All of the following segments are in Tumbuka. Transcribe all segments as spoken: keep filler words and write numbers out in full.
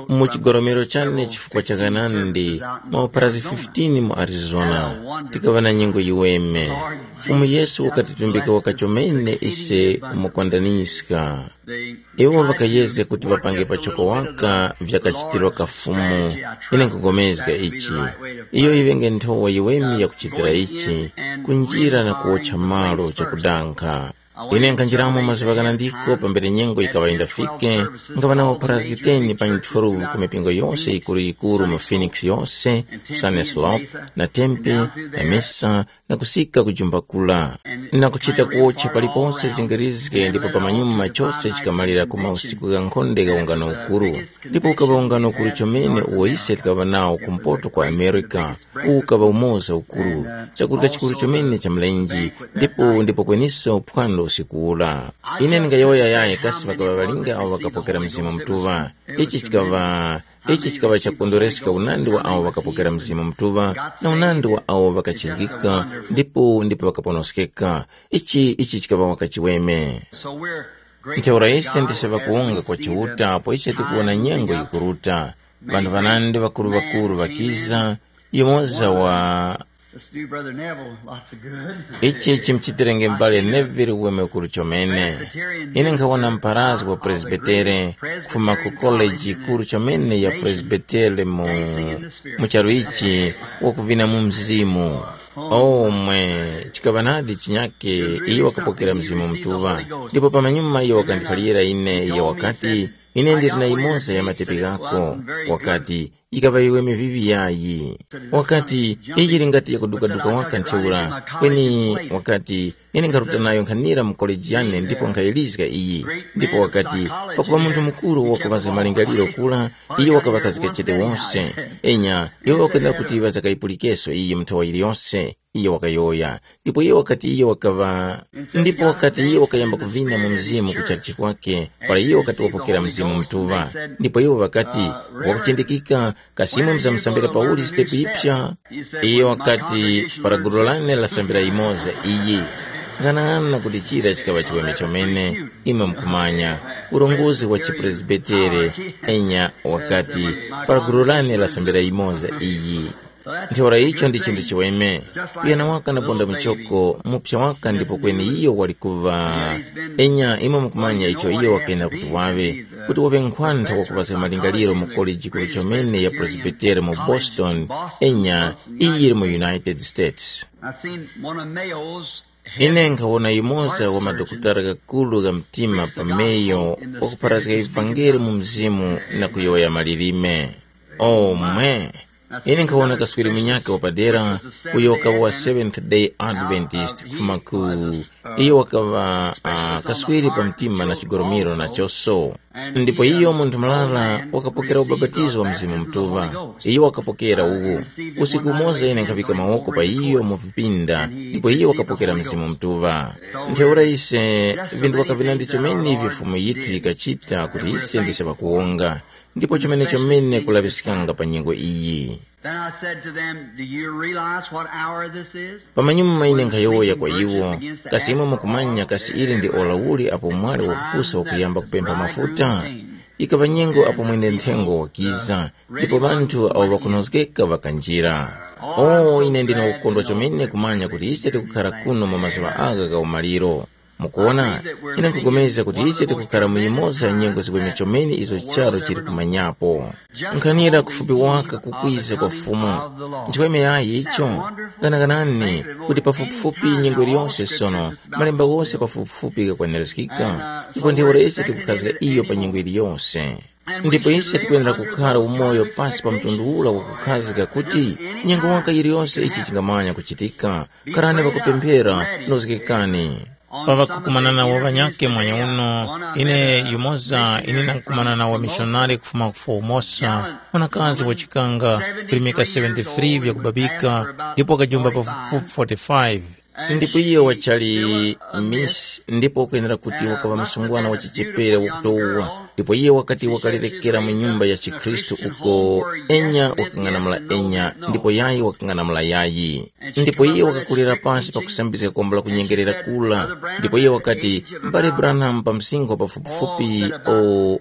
Mu chigoromero chane chifukwa cha ghanandi, maoperazi fifteen mu Arizona, tikaŵa na nyengo yiweme. Fumu Yesu wakatitumbika wakachomene ise kumukondaniska. Iwo ŵakayezga kuti ŵapange pachoko waka vyakachitirwa ka Fumu. Ine nkhugomezga ichi. Iyo yiŵenge nthowa yiweme yakuchitira ichi, kunjira na kuwotcha malo chakudankha. Ine nkhanjiramo mazuŵa ghanandiko pambere nyengo yikaŵa yindafike, nkhaŵa nawo paraskiteni pa nthoru ku mipingo yose yikuru-yikuru mu Phoenix yose, Sunnyslope, na Tempe, na Mesa, na kusika ku Jumba Kula, na kuchita kuwotcha paliponse zingirizge ndipo pamanyuma chose chikamalira ku mausiku gha nkhonde gha ungano ukuru. Ndipo ukaŵa ungano ukuru chomene uwo ise tikaŵa nawo kumpoto kwa Amerika, uwu ukaŵa umoza ukuru, chakurya chikuru chomene cha mlenje, ndipo ndipo kweniso phwando usiku ula. Ine ndingayowoya yaye kasi ŵakaŵa ŵalinga awo ŵakapokera Mzimu Mutuŵa. Ichi chikaŵa ichi chikaŵa chakukondwereska unandi wa awo ŵakapokera Mzimu Mutuŵa na unandi wa awo ŵakachizgika ndipo ndipo ŵakaponoskeka. Ichi ichi chikaŵa wakachiweme. Ntheura ise ndise ŵakuwunga kwa Chiuta apo ise tikuwona nyengo yikuruta. Ŵanthu ŵanandi ŵakuru-ŵakuru ŵakiza, yumoza wa Let's do Brother Neville lots of good. Ichi chimuchitirenge m'bale Neville weme ukuru chomene. Ine nkhawona mpharazgi wa Presbitere kufuma ku koleji yikuru chomene ya Presbitere mu, mu charu ichi, wakuvina mu mzimu. Omwe chikaŵa nadi chinyake iyo wakapokera Mzimu Mutuŵa. Ndipo pamanyuma iyo wakandiphalira ine, iyo wakati, ine ndili na yimoza ya matepi ghako. Wakati, yikaŵa iwe mivivi yayi. Wakati, iyi yili ngati yakudukaduka waka ntheura, kweni wakati, ine nkharuta nayo nkhanira mu koleji yane ndipo nkhayilizga iyi. Ndipo wakati, pakuŵa munthu mukuru wakuŵazga malingaliro kura, iyo wakaŵakazga chete wose. Enya, iwo ŵakwenera kuti ŵazakayipulikeso iyi mu nthowa yiliyose. Iyo wakayowoya. Ndipo iyo wakati iyo wakaŵa ndipo wakati iyo wakayamba kuvina mu mzimu ku chalichi kwake, para iyo wakati wapokera Mzimu Mutuŵa. Ndipo iwo ŵakati, wakuchindikika, kasi imwe muzamusambira pauli sitepu yipsa? Iyo wakati, para gulu lane lasambira yimoza iyi. Ng'anang'ana kuti chira chikaŵa chiweme chomene, imwe mukumanya, urongozi wa chipresbitere, enya wakati, para gulu lane lasambira yimoza iyi. Ntheura icho ndi chinthu chiweme. Kuyana waka na bonda muchoko, mupsa waka ndipo kweni iyo wali kuŵa. Enya imwe mukumanya icho iyo wakuyenda kuti waŵe, kuti waŵe nkhwantha wakupaska malingaliro mu koleji yikuru chomene ya Presbitere mu Boston, enya iyi yili mu United States. I seen one of Mayo's head Ine nkhawona yumoza wa madokotala ghakulu gha mtima pa Mayo wakupharazga ivangeli mu mzimu na kuyowoya malilime. Omwe! Ine nkhawona kaswiri munyakhe wapadera, uyo wakaŵa wa Seventh Day Adventist kufuma ku iyo wakaŵa uh, kaswiri pa mtima na chigoromiro nachoso. Ndipo iyo munthu murara wakapokera ubapatizo wa Mzimu Mutuŵa. Iyo wakapokera uwu. Usiku umoza ine nkhaŵika mawoko pa iyo mu vipinda, ndipo iyo wakapokera Mzimu Mutuŵa. Ntheura ise, vinthu wakavinandi chomene ivyo Fumu yithu yikachita kuti ise ndise ŵakuwonga. Ndipo chimenechomene kulaŵiskanga pa nyengo iyi. Then I said to them, "Do you realize what hour this is?" Pamanyuma ine nkhayowoya kwa iwo, kasi imwe mukumanya kasi ili ndi ora uli apo mwali wakupusa wakuyamba kupempha mafuta? Ikaŵa nyengo apo mwene nthengo wakiza, ndipo ŵanthu awo ŵakunozgeka ŵakanjira. O, ine ndine ukondwa chomene kumanya kuti ise tikukhara kuno mu mazuŵa agha gha umaliro. Mukuona, ine nkupulikana kuti ise tikukhara mu yimoza ya nyengo ziweme chomene izo charu chili kumanyapo. Nkhanira kufupi waka kukwiza kwa Fumu. Nchiweme yayi icho? Ganaganani kuti pafupifupi nyengo iliyonse sono, malemba wose pafupifupi ghakwenereskika, ndipo ntheura ise tikukhazga iyo pa nyengo iliyonse. Ndipo ise tikwenera kukhara umoyo pasi pa mtundu ura wakukhazga kuti nyengo waka yiliyonse ichi chingamanya kuchitika. Kharani ŵakupemphera, nozgekani. Pa ŵakukumana nawo ŵanyakhe mwanya uno, ine yumoza ine ndang'kumana na wamishonari kufuma ku Formosa, mwanakazi wachikanga, kulimika seventy-three vyakubabika, ndipo wakajumba pafupifupi forty-five. Ndipo iyo wachali miss, ndipo ukwenera kuti wakaŵa msungwana wa chichepere wakutowa. Ndipo iyo wakati wakalerekera mu nyumba ya chikhristu uko, enya wakang'anamula enya, ndipo yayi wakang'anamula yayi. Ndipo iye wakakulira pansi pakusambizga kombo la kunyengerera kula. Ndipo iye wakati, mbale Branham, pa msinkhu wa pafupifupi o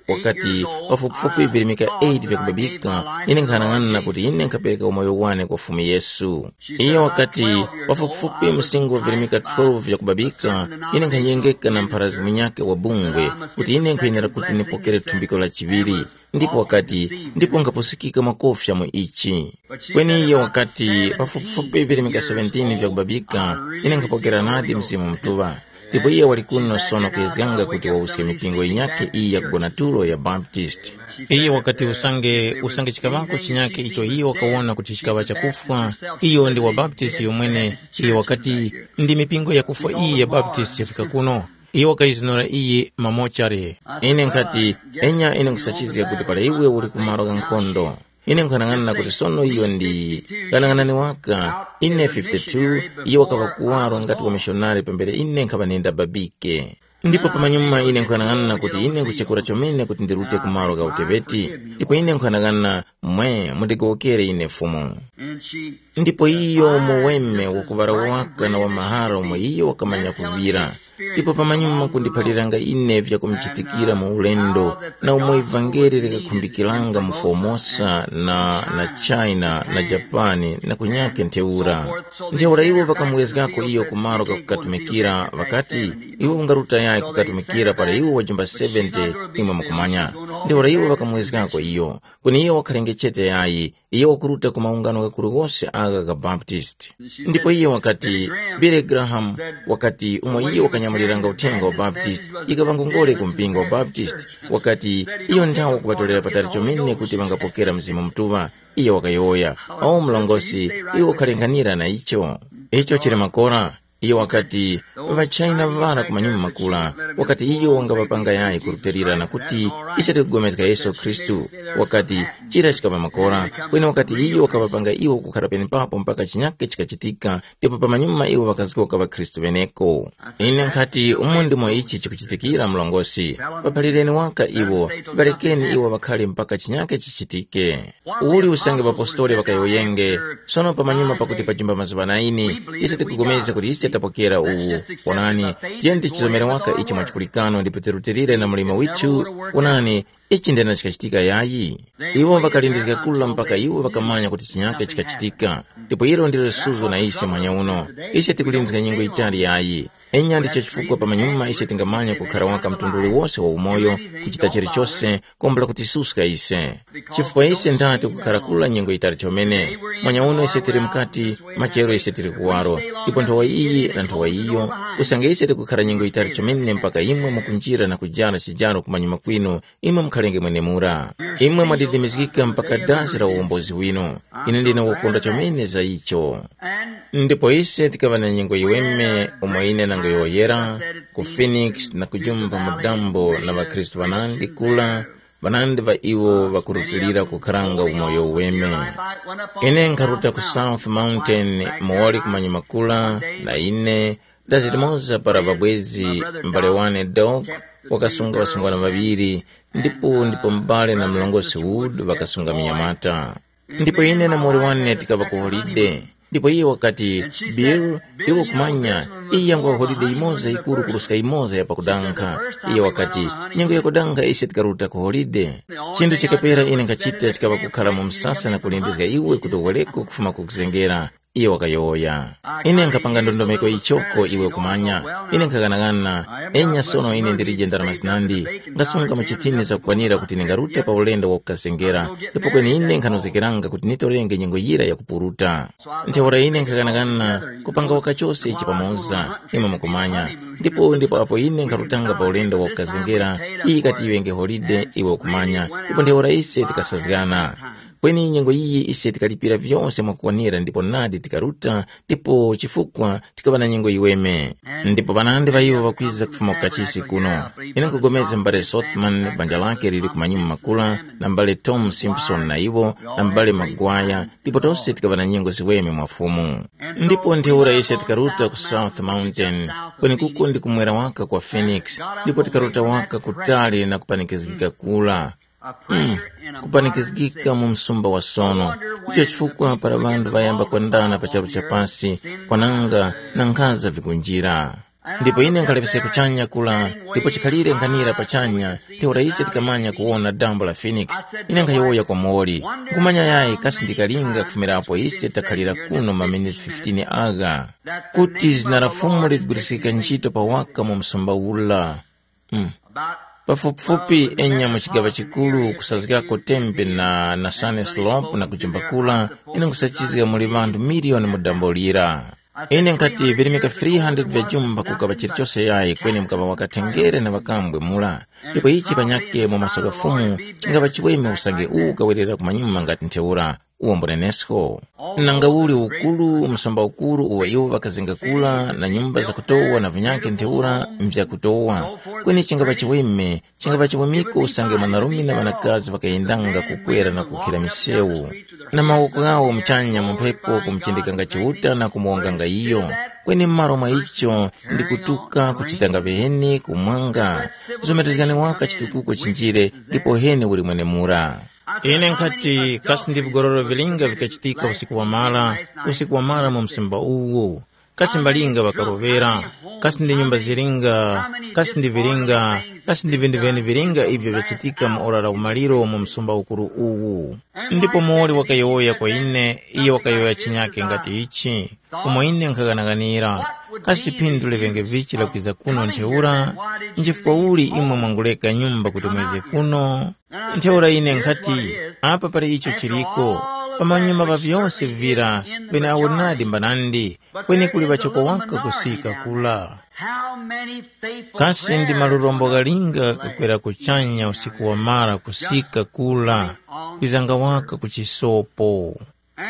wakati pafupifupi virimika eight vyakubabika, ine nkhanang'ana kuti ine nkhapereka umoyo wane kwa Fumu Yesu. Iye wakati, pafupifupi msinkhu wa virimika twelve vyakubabika, ine nkhanyengeka na mpharazi munyakhe wa bungwe kuti ine nkhuyenera kuti nipokere thumbiko la chiŵiri. Ndipo wakati, ndipo nkhapusikika makofya mu ichi. Kweni iye wakati, pafupifupi virimika seventeen vyakubabika, ine nkhapokera nadi Mzimu Mutuŵa. Ndipo iye wali kuno sono kuyezganga kuti wawuske mipingo yinyakhe iyi yakugona tulo ya Baptist. Iye wakati usange usange chikaŵako chinyakhe icho iye wakawona kuti chikaŵa chakufwa, iyo ndi wa Baptist yomwene. Iye wakati, ndi mipingo yakufwa iyi ya Baptist yafika kuno. Iye wakayizunura iyi mamochare. Ine nkhati, enya ine nkusachizga kuti para iwe uli kumaro gha nkhondo. Ine nkhanang'ana kuti sono iyo ndi kanang'anani waka. Ine fifty-two, iyo wakaŵa kuwaro ngati wamishonari pambere ine nkhaŵa nenda babike. Ndipo pamanyuma ine nkhanang'ana kuti ine nkuchekura chomene kuti ndirute ku malo gha uteŵeti. Ndipo ine nkhanang'ana, mwe, mundigowokere ine Fumu. Ndipo iyo muweme wakuŵala waka na wamahara umo iyo wakamanya kuŵira. Ndipo pamanyuma kundiphaliranga ine vyakumchitikira mu ulendo, na umo ivangeli likakhumbikiranga mu Formosa na na China na Japani na kunyakhe ntheura. Ntheura iwo ŵakamuwezgako iyo ku malo ghakukatumikira, ŵakati, iwe ungaruta yayi kukatumikira para iwe wajumba seventy, imwe mukumanya. Ntheura iwo ŵakamuwezgako iyo, kweni iyo wakhalenge chete yayi, iyo wakuruta ku maungano ghakuru ghose agha gha Baptist. Ndipo iye wakati, Billy Graham wakati umo iye wakanyamuliranga uthenga wa Baptist, ikaŵa ngongole ku mpingo wa Baptist, wakati, iyo nthawe kuŵatolera patali chomene kuti ŵangapokera Mzimu Mutuŵa. Iye wakayowoya, o mlongosi, iwe ukhalenghanira na icho. Icho chili makora. Iyo wakati, ŵachina ŵara ku manyuma makula, wakati iyo wangaŵapanga yayi kurutilira na kuti, ise tikugomezga Yesu Khristu. Wakati, chira chikaŵa makora, kweni wakati iyo wakaŵapanga iwo kukhara penepapo mpaka chinyake chikachitika, ndipo pamanyuma iwo ŵakazgoka ŵakhristu ŵeneko. Ine nkhati umo ndimo ichi chikuchitikira mlongosi. Ŵaphalireni waka iwo, ŵarekeni iwo ŵakhare mpaka chinyake chichitike. Uli usange ŵapostoli ŵakayowoyenge, sono pamanyuma pakuti pajumba mazuŵa naini, ise tikupulikana kuti ise tapokera uwu. Onani, tiyeni tichizomere waka ichi mwa chipulikano ndipo tirutilire na mlimo withu. Onani, ichi ndena chikachitika yayi. Iwo ŵakalindizga kula mpaka iwo ŵakamanya kuti chinyake chikachitika. Ndipo ilo ndilo suzgo na ise mwanya uno. Ise tikulindizga nyengo yitali yayi. Enya ndicho chifukwa pamanyuma ise tingamanya kukhara waka mtundu uliwose wa umoyo, kuchita chilichose, kombela kutisuska ise. Chifukwa ise ndati kukhara kula nyengo yitali chomene. Mwanya uno ise tili mukati, machero ise tili kuwaro, ipo nthowa iyi na nthowa iyo. Usange ise tikukhara nyengo yitali chomene mpaka imwe mukunjira na kujara chijaro kumanyuma kwinu, imwe mukhalenge mwenemura. Imwe mwadidimizgika mpaka dazi la uwombozi winu. Ine ndine wokondwa chomene za icho. Ndipo ise tikaŵa na nyengo yiweme umo ine nangoyowoyera ku Phoenix na kujumba mu dambo na ŵakhristu ŵanandi kula, ŵanandi ŵa iwo ŵakurutilira kukharanga umoyo uweme. Ine nkharuta ku South Mountain muwali kumanyuma kula, na ine dazi limoza para ŵabwezi, m'bale wane Doc wakasunga ŵasungwana ŵaŵiri, ndipo ndipo m'bale na mlongosi Wood ŵakasunga munyamata. Ndipo ine na muwoli wane tikaŵa ku holide. Ndipo iye wakati, Bill, iwe kumanya, iyi yangwa holide yimoza yikuru kuruska yimoza ya pakudankha. Iye wakati, nyengo yakudankha ise tikaruta ku holide. Chinthu chikapera ine nkhachita chikaŵa kukhala mu msasa na kulindizga iwe kuti uwereko kufuma ku kuzengera. Iye wakayowoya, ine nkhapanga ndondomeko yichoko iwe kumanya. Ine nkhaghanagana, enya sono ine ndilije ndarama zinandi, ngasunga mu chithini zakukwanira kuti ndingarute pa ulendo wakukasengera, ndipo kweni ine nkhanozgekeranga kuti nitorenge nyengo yira yakupuruta. Ntheura ine nkhaghanaghana kupanga waka chose ichi pamoza, imwe mukumanya. Ndipo ndipo apo ine nkharutanga pa ulendo wakukazengera, iyi ikati yiŵenge holide, iwe ukumanya, ndipo ntheura ise tikasazgana. Kweni nyengo iyi ise tikalipira vyose mwakukwanira ndipo nadi tikaruta, ndipo chifukwa tikaŵa na nyengo yiweme. Ndipo ŵanandi ŵa iwo ŵakwiza kufuma ku kachisi kuno. Ine nkupulikana m'bale Sothman, banja lake lili ku manyuma makula, na m'bale Tom Simpson na iwo, na m'bale Magwaya, ndipo tose tikaŵa na nyengo ziweme mwa Fumu. Ndipo ntheura ise tikaruta ku South Mountain, kwenekuko ndi kumwera waka kwa Phoenix, ndipo tikaruta waka kutali na kupanikizgika kura. Mm, kupanikizgika mu msumba wa sono. Icho chifukwa para ŵanthu ŵayamba kwendana pa charu cha pasi, kwananga na nkhaza vikunjira. Ndipo ine nkhalapisa kuchanya kula, ndipo chikhalire nkhanira pachanya, ntheura ise tikamanya kuwona dambo la Phoenix. Ine nkhayowoya kwa moli, nkhumanya yayi kasi ndikalinga kufumirapo ise takhalira kuno maminiti fifteen agha, kuti zina la Fumu ligwiriskika ntchito pawaka mu msumba ula. Mm. Pafupifupi enya mu chigaŵa chikuru kusazgako tembe na nasane slope na kujumbakula, ine nkhusachizga muli ŵanthu miliyoni mu dambo lira. Ine nkhati virimika three hundred vya jumba kukaŵa chilichose yayi kweni mukaŵa wakathengere na ŵakambwe mura. Ndipo ichi panyakhe mu maso gha Fumu, chingaŵa chiweme usange uwu ukawerera kumanyuma ngati ntheura. Uwo mbunenesko. Nanga uli ukuru msumba ukuru uwo iwo ŵakazenga kula na nyumba zakutowa na vinyakhe ntheura, mvyakutowa. Kweni chingapa chiweme, chingapa chiwemeko usange mwanarume na ŵanakazi ŵakayendanga kukwera na kukhira misewu, na mawoko ghawo muchanya mu mphepo kumuchindikanga Chiuta na kumuwonganga iyo. Kweni m'malo mwa icho, ndi kutuka kuchitanga viheni kumwanga. Zomerezgani waka chitukuko chinjire, ndipo heni uli mwenemura. Ine nkhati, kasi ndi vigororo vilinga vikachitika usiku wamara, usiku wamara mu msumba uwu? Kasi mbalinga ŵakarovera? Kasi ndi nyumba zilinga? Kasi ndi vilinga? Kasi ndi vinthu vene vilinga ivyo vyachitika mu ora la umaliro mu msumba ukuru uwu? Ndipo muwoli wakayowoya kwa ine, iyo wakayowoya chinyake ngati ichi, umo ine nkhaghanaghanira, kasi phindu liŵenge vichi lakwiza kuno ntheura? Nchifukwa uli imwe mwanguleka nyumba kuti mwize kuno? Ntheura ine nkhati, apa pali icho chiliko, pamanyuma pa vyose vira, penaawo nadi mbanandi, kweni kuli ŵachoko waka kusika kula. Kasi ndi malurombo ghalinga kakwera kuchanya usiku wamara kusika kula, kwizanga waka ku chisopo.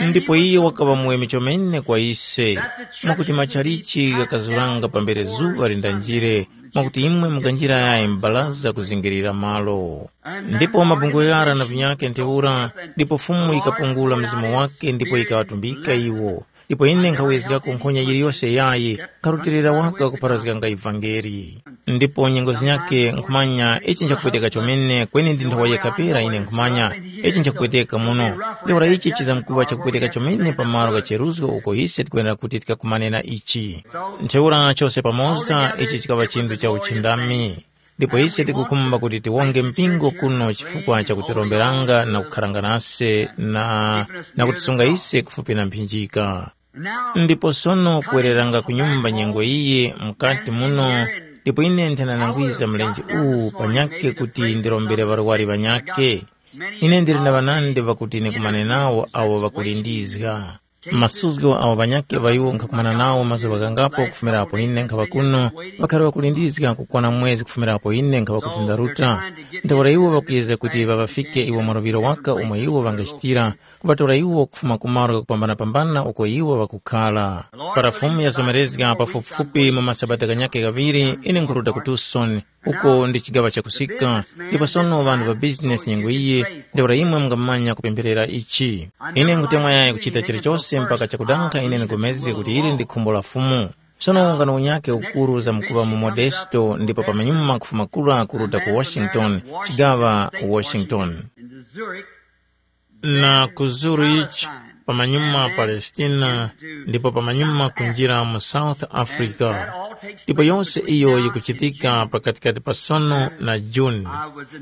Ndipo iyo wakaŵa muweme chomene kwa ise, mwakuti machalichi ghakazuranga pambere zuŵa lindanjire, mwakuti imwe mukanjira yayi m'baraza kuzingirira malo. Ndipo mabungwe ghara na vinyakhe ntheura, ndipo Fumu yikapungula mzimu wake ndipo yikawatumbika iwo. Ndipo ine nkhawezgako nkhonya yiliyose yayi, nkharutilira waka kupharazganga ivangeli. Ndipo nyengo zinyakhe nkhumanya ichi nchakupweteka chomene, kweni ndi nthowa yekha pera ine nkhumanya ichi nchakupweteka muno. Ntheura ichi chizamkuŵa chakupweteka chomene pa malo gha cheruzgo uko ise tikwenera kuti tikakumane na ichi. Ntheura chose pamoza ichi chikaŵa chinthu cha uchindami. Ndipo ise tikukhumba kuti tiwonge mpingo kuno chifukwa cha kutiromberanga na kukharanga nase na, na kutisunga ise kufupi na mphinjika. Ndipo sono kuwereranga ku nyumba nyengo iyi mukati muno, ndipo ine nthananangwiza mlenje uwu panyakhe kuti ndirombere ŵarwari ŵanyakhe. Ine ndili na ŵanandi ŵakuti nikumane nawo awo ŵakulindizga. Masuzgo awo ŵanyakhe ŵa iwo nkhakumana nawo mazuŵa ghangapo kufumira apo ine nkhaŵa kuno, ŵakhali ŵakulindizga kukwana mwezi kufumira apo ine nkhaŵa kuti ndaruta. Ntheura iwo ŵakuyezga kuti ŵaŵafike iwo maluŵiro waka umo iwo ŵangachitira, kuŵatora iwo kufuma ku malo ghakupambanapambana uko iwo ŵakukhala. Para Fumu yazomerezga pafupifupi mu masabata ghanyakhe ghaŵiri, ine nkhuruta ku Tucson, uko ndi chigaŵa chakusika, ndipo sono ŵanthu ŵa bizinesi nyengo iyi, ntheura imwe mungamanya kupempherera ichi. Ine nkhutemwa yayi kuchita chilichose mpaka chakudanga ine ndingomezge kuti ili ndi khumbo la Fumu. Sono ungano unyakhe ukuru zamkuŵa mu Modesto ndipo pamanyuma kufuma kura kuruta ku Washington, chigaŵa Washington, na ku Zurich, pamanyuma Palestina, ndipo pamanyuma kunjira mu South Africa. Ndipo yose iyo yikuchitika pakatikati pa sono na June.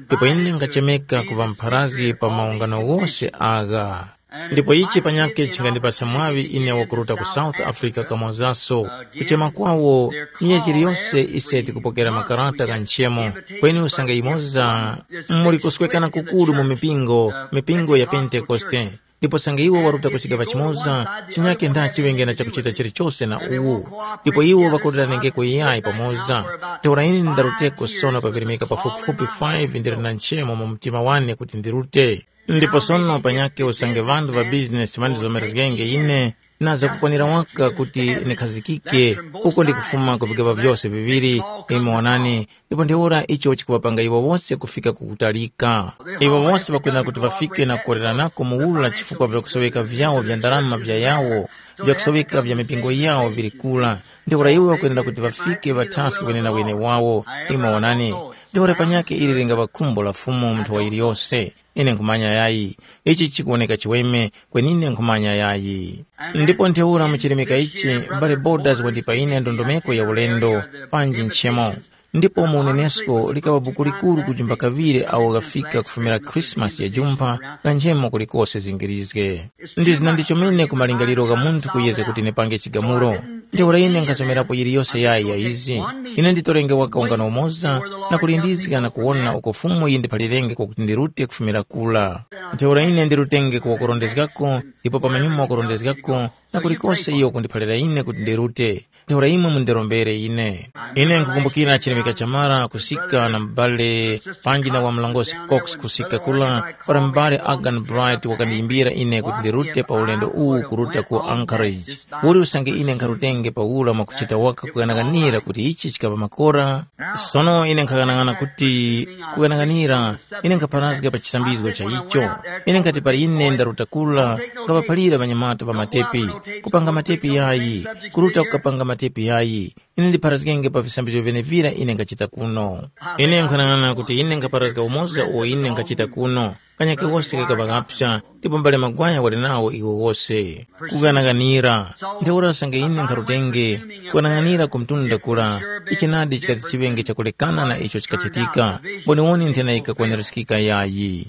Ndipo ine ngachemeka kuŵa mpharazgi pa maungano wose agha. Ndipo ichi panyakhe chingandipasa mwaŵi ine wakuruta ku South Africa kamozaso. Kuchema kwawo, miya chiliyose ise tikupokera makarata gha nchemo, kweni usange yimoza muli kuswekana kukuru mu mipingo, mipingo ya Pentekoste. Ndipo usange iwo waruta ku chigaŵa chimoza, chinyakhe ndachiŵenge na chakuchita chilichose na uwu. Ndipo iwo ŵakuliranengeko iyayi pamoza. Ntheura ine ndaruteko sono pavirimika pafupifupi five ndili na nchemo mu mtima wane kuti ndirute. Ndipo sono panyakhe usange ŵanthu ŵa bizinesi ŵandizomerezgenge ine, Naza kukwanira waka kuti nikhazikike uko ndikufuma ku vigaŵa vyose viŵiri, imwe wonani, ndipo ntheura icho chikuŵapanga iwo wose kufika ku kutalika. Iwo wose ŵakwenera kuti ŵafike na kukoreranako muwura chifukwa vyakusoweka vyawo vya ndarama vya yawo, vyakusoweka vya mipingo yawo vili kura. Ntheura iwo ŵakwenera kuti ŵafike ŵathaske wenena wene wawo, imwe wonani. Ntheura panyakhe ili lingaŵa khumbo la Fumu munthu wa yiliyose. Ine nkhumanya yayi, ichi chikuwoneka chiweme, kweni ine nkhumanya yayi. Ndipo ntheura mu chilemeka ichi, mbale Borders wandipa ine ndondomeko ya ulendo, panji nchemo. Ndipo mu unenesko likaŵa buku likuru kujumba kaŵiri awo ghafika kufumira Khrisimasi ya jumpha, ghanjemo kulikose zingirizge. Ndi zina ndichomene ku malingaliro gha munthu kuyezga kuti nipange chigamulo. Ntheura ine nkhasomerapo yiliyose yayi ya izi. Ine nditorenge waka ungano umoza, na kulindizga na kuwona uko Fumu yindiphalirenge kwakuti ndirute kufumira kura. Ntheura ine ndirutenge ku wakurondezgako, ndipo pamanyuma wakurondezgako, na kulikose iyo kundiphalira ine kuti ndirute. Ntheura imwe mundirombere ine. Ine nkukumbukira chilemeka cha mara kusika na m'bale panji na wa mlongosi Cox kusika kula, para m'bale Agan Bright wakandiyimbira ine kuti ndirute pa ulendo uwu kuruta ku Anchorage. Uli usange ine nkharutenge pa ura mwakuchita waka kughanaghanira kuti ichi chikaŵa makora? Sono ine nkhaghanag'ana kuti kughanaghanira, ine nkhapharazga pa chisambizgo cha icho. Ine nkhati pali ine ndaruta kula, ngaŵaphalira ŵanyamata pa matepi, kupanga matepi yayi, kuruta kukapanga matepi yayi. Ine ndipharazgenge pa visambizgo vyenevira ine nkhachita kuno. Ine nkhanang'ana kuti ine nkhapharazga umoza uwo ine nkhachita kuno. Kanyake wose kakaŵa kapsa, ndipo mbale magwaya wali nawo iwo wose. Kughanaghanira. Ntheura usange ine nkharutenge, kughanaghanira ku mtunda kura, ichi nadi chikati chiŵenge chakulekana na icho chikachitika. Mboniwoni nthena yikakwanirizgika yayi.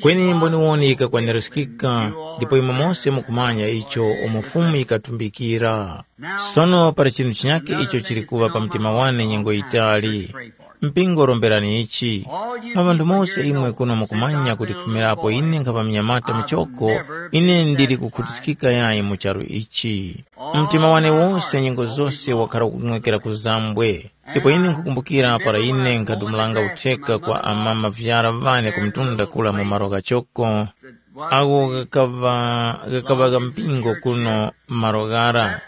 Kweni mboniwoni yikakwanirizgika, ndipo imwe mose mukumanya icho umo Fumu yikatumbikira. Sono pali chinthu chinyakhe icho chili kuŵa pa mtima wane nyengo yitali. Mpingo romberani ichi. Mwa ŵanthu mose imwe kuno mukumanya kuti kufumirapo ine nkhapa mnyamata muchoko, ine ndili kukhutiskika yayi mu charu ichi. Mtima wane wose nyengo zose wakhala ukung'wekera ku zambwe. Ndipo ine nkhukumbukira para ine nkhadumulanga utheka kwa amama vyara ŵane ku mtunda kula mu malo ghachoko, agho ghakaŵa ghakaŵa gha mpingo kuno malo ghara.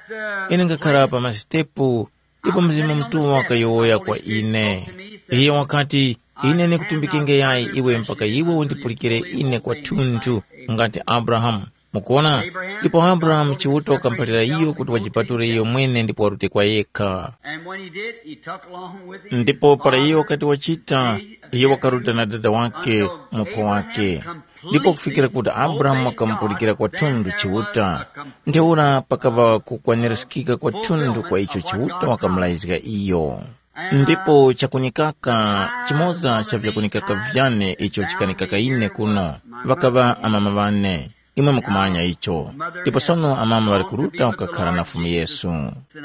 Ine ngakhara pa masitepu, ndipo Mzimu Mutuŵa wakayowoya kwa ine. Iyo wakati, ine ndikutumbikenge yayi iwe mpaka iwe undipulikire ine kwathunthu, ngati Abrahamu. Mukuona? Ndipo Abrahamu Chiuta wakamuphalira iyo kuti wajipature iyo mwene ndipo warute kwa yekha. And when he did, he took along with him ndipo para iyo wakati wachita, iyo wakaruta na dada wake, muphwa wake. Ndipo kufikira kuti Abrahamu wakamupulikira kwathunthu Chiuta, ntheura pakaŵa kukwanirizgika kwathunthu kwa icho Chiuta wakamulazga iyo. Ndipo chakunikaka, chimoza cha vyakunikaka vyane icho chikanikaka ine kuno, ŵakaŵa amama ŵane. Imwe mukumanya icho. Ndipo sono amama ŵali kuruta kukakhala na Fumu Yesu.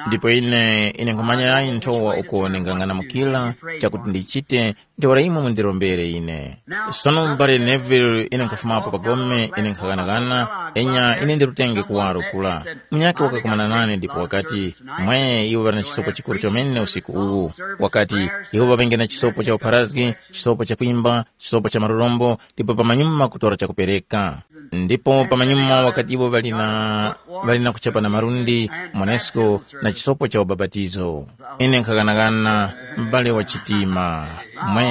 Ndipo ine, ine nkhumanya yayi nthowa uko ndingang'anamukira chakuti ndichite, ntheura imwe mundirombere ine. Sono m'bale Neville, ine nkhafumapo pa gome, ine nkhaghanagana, enya ine ndirutenge kuwaro kula. Munyakhe wakakumana nane ndipo wakati, mwe, iwo ŵali na chisopo chikuru chomene usiku uwu. Wakati, iwo ŵaŵenge na chisopo cha upharazgi, chisopo cha kwimba, chisopo cha marurombo, ndipo pamanyuma kutora chakupereka. Ndipo pamanyuma wakati iwo ŵali na ŵali na kuchapa na malundi, monesko, na chisopo cha ubapatizo. Ine nkhaghanaghana, m'bale wa chitima. Mwe,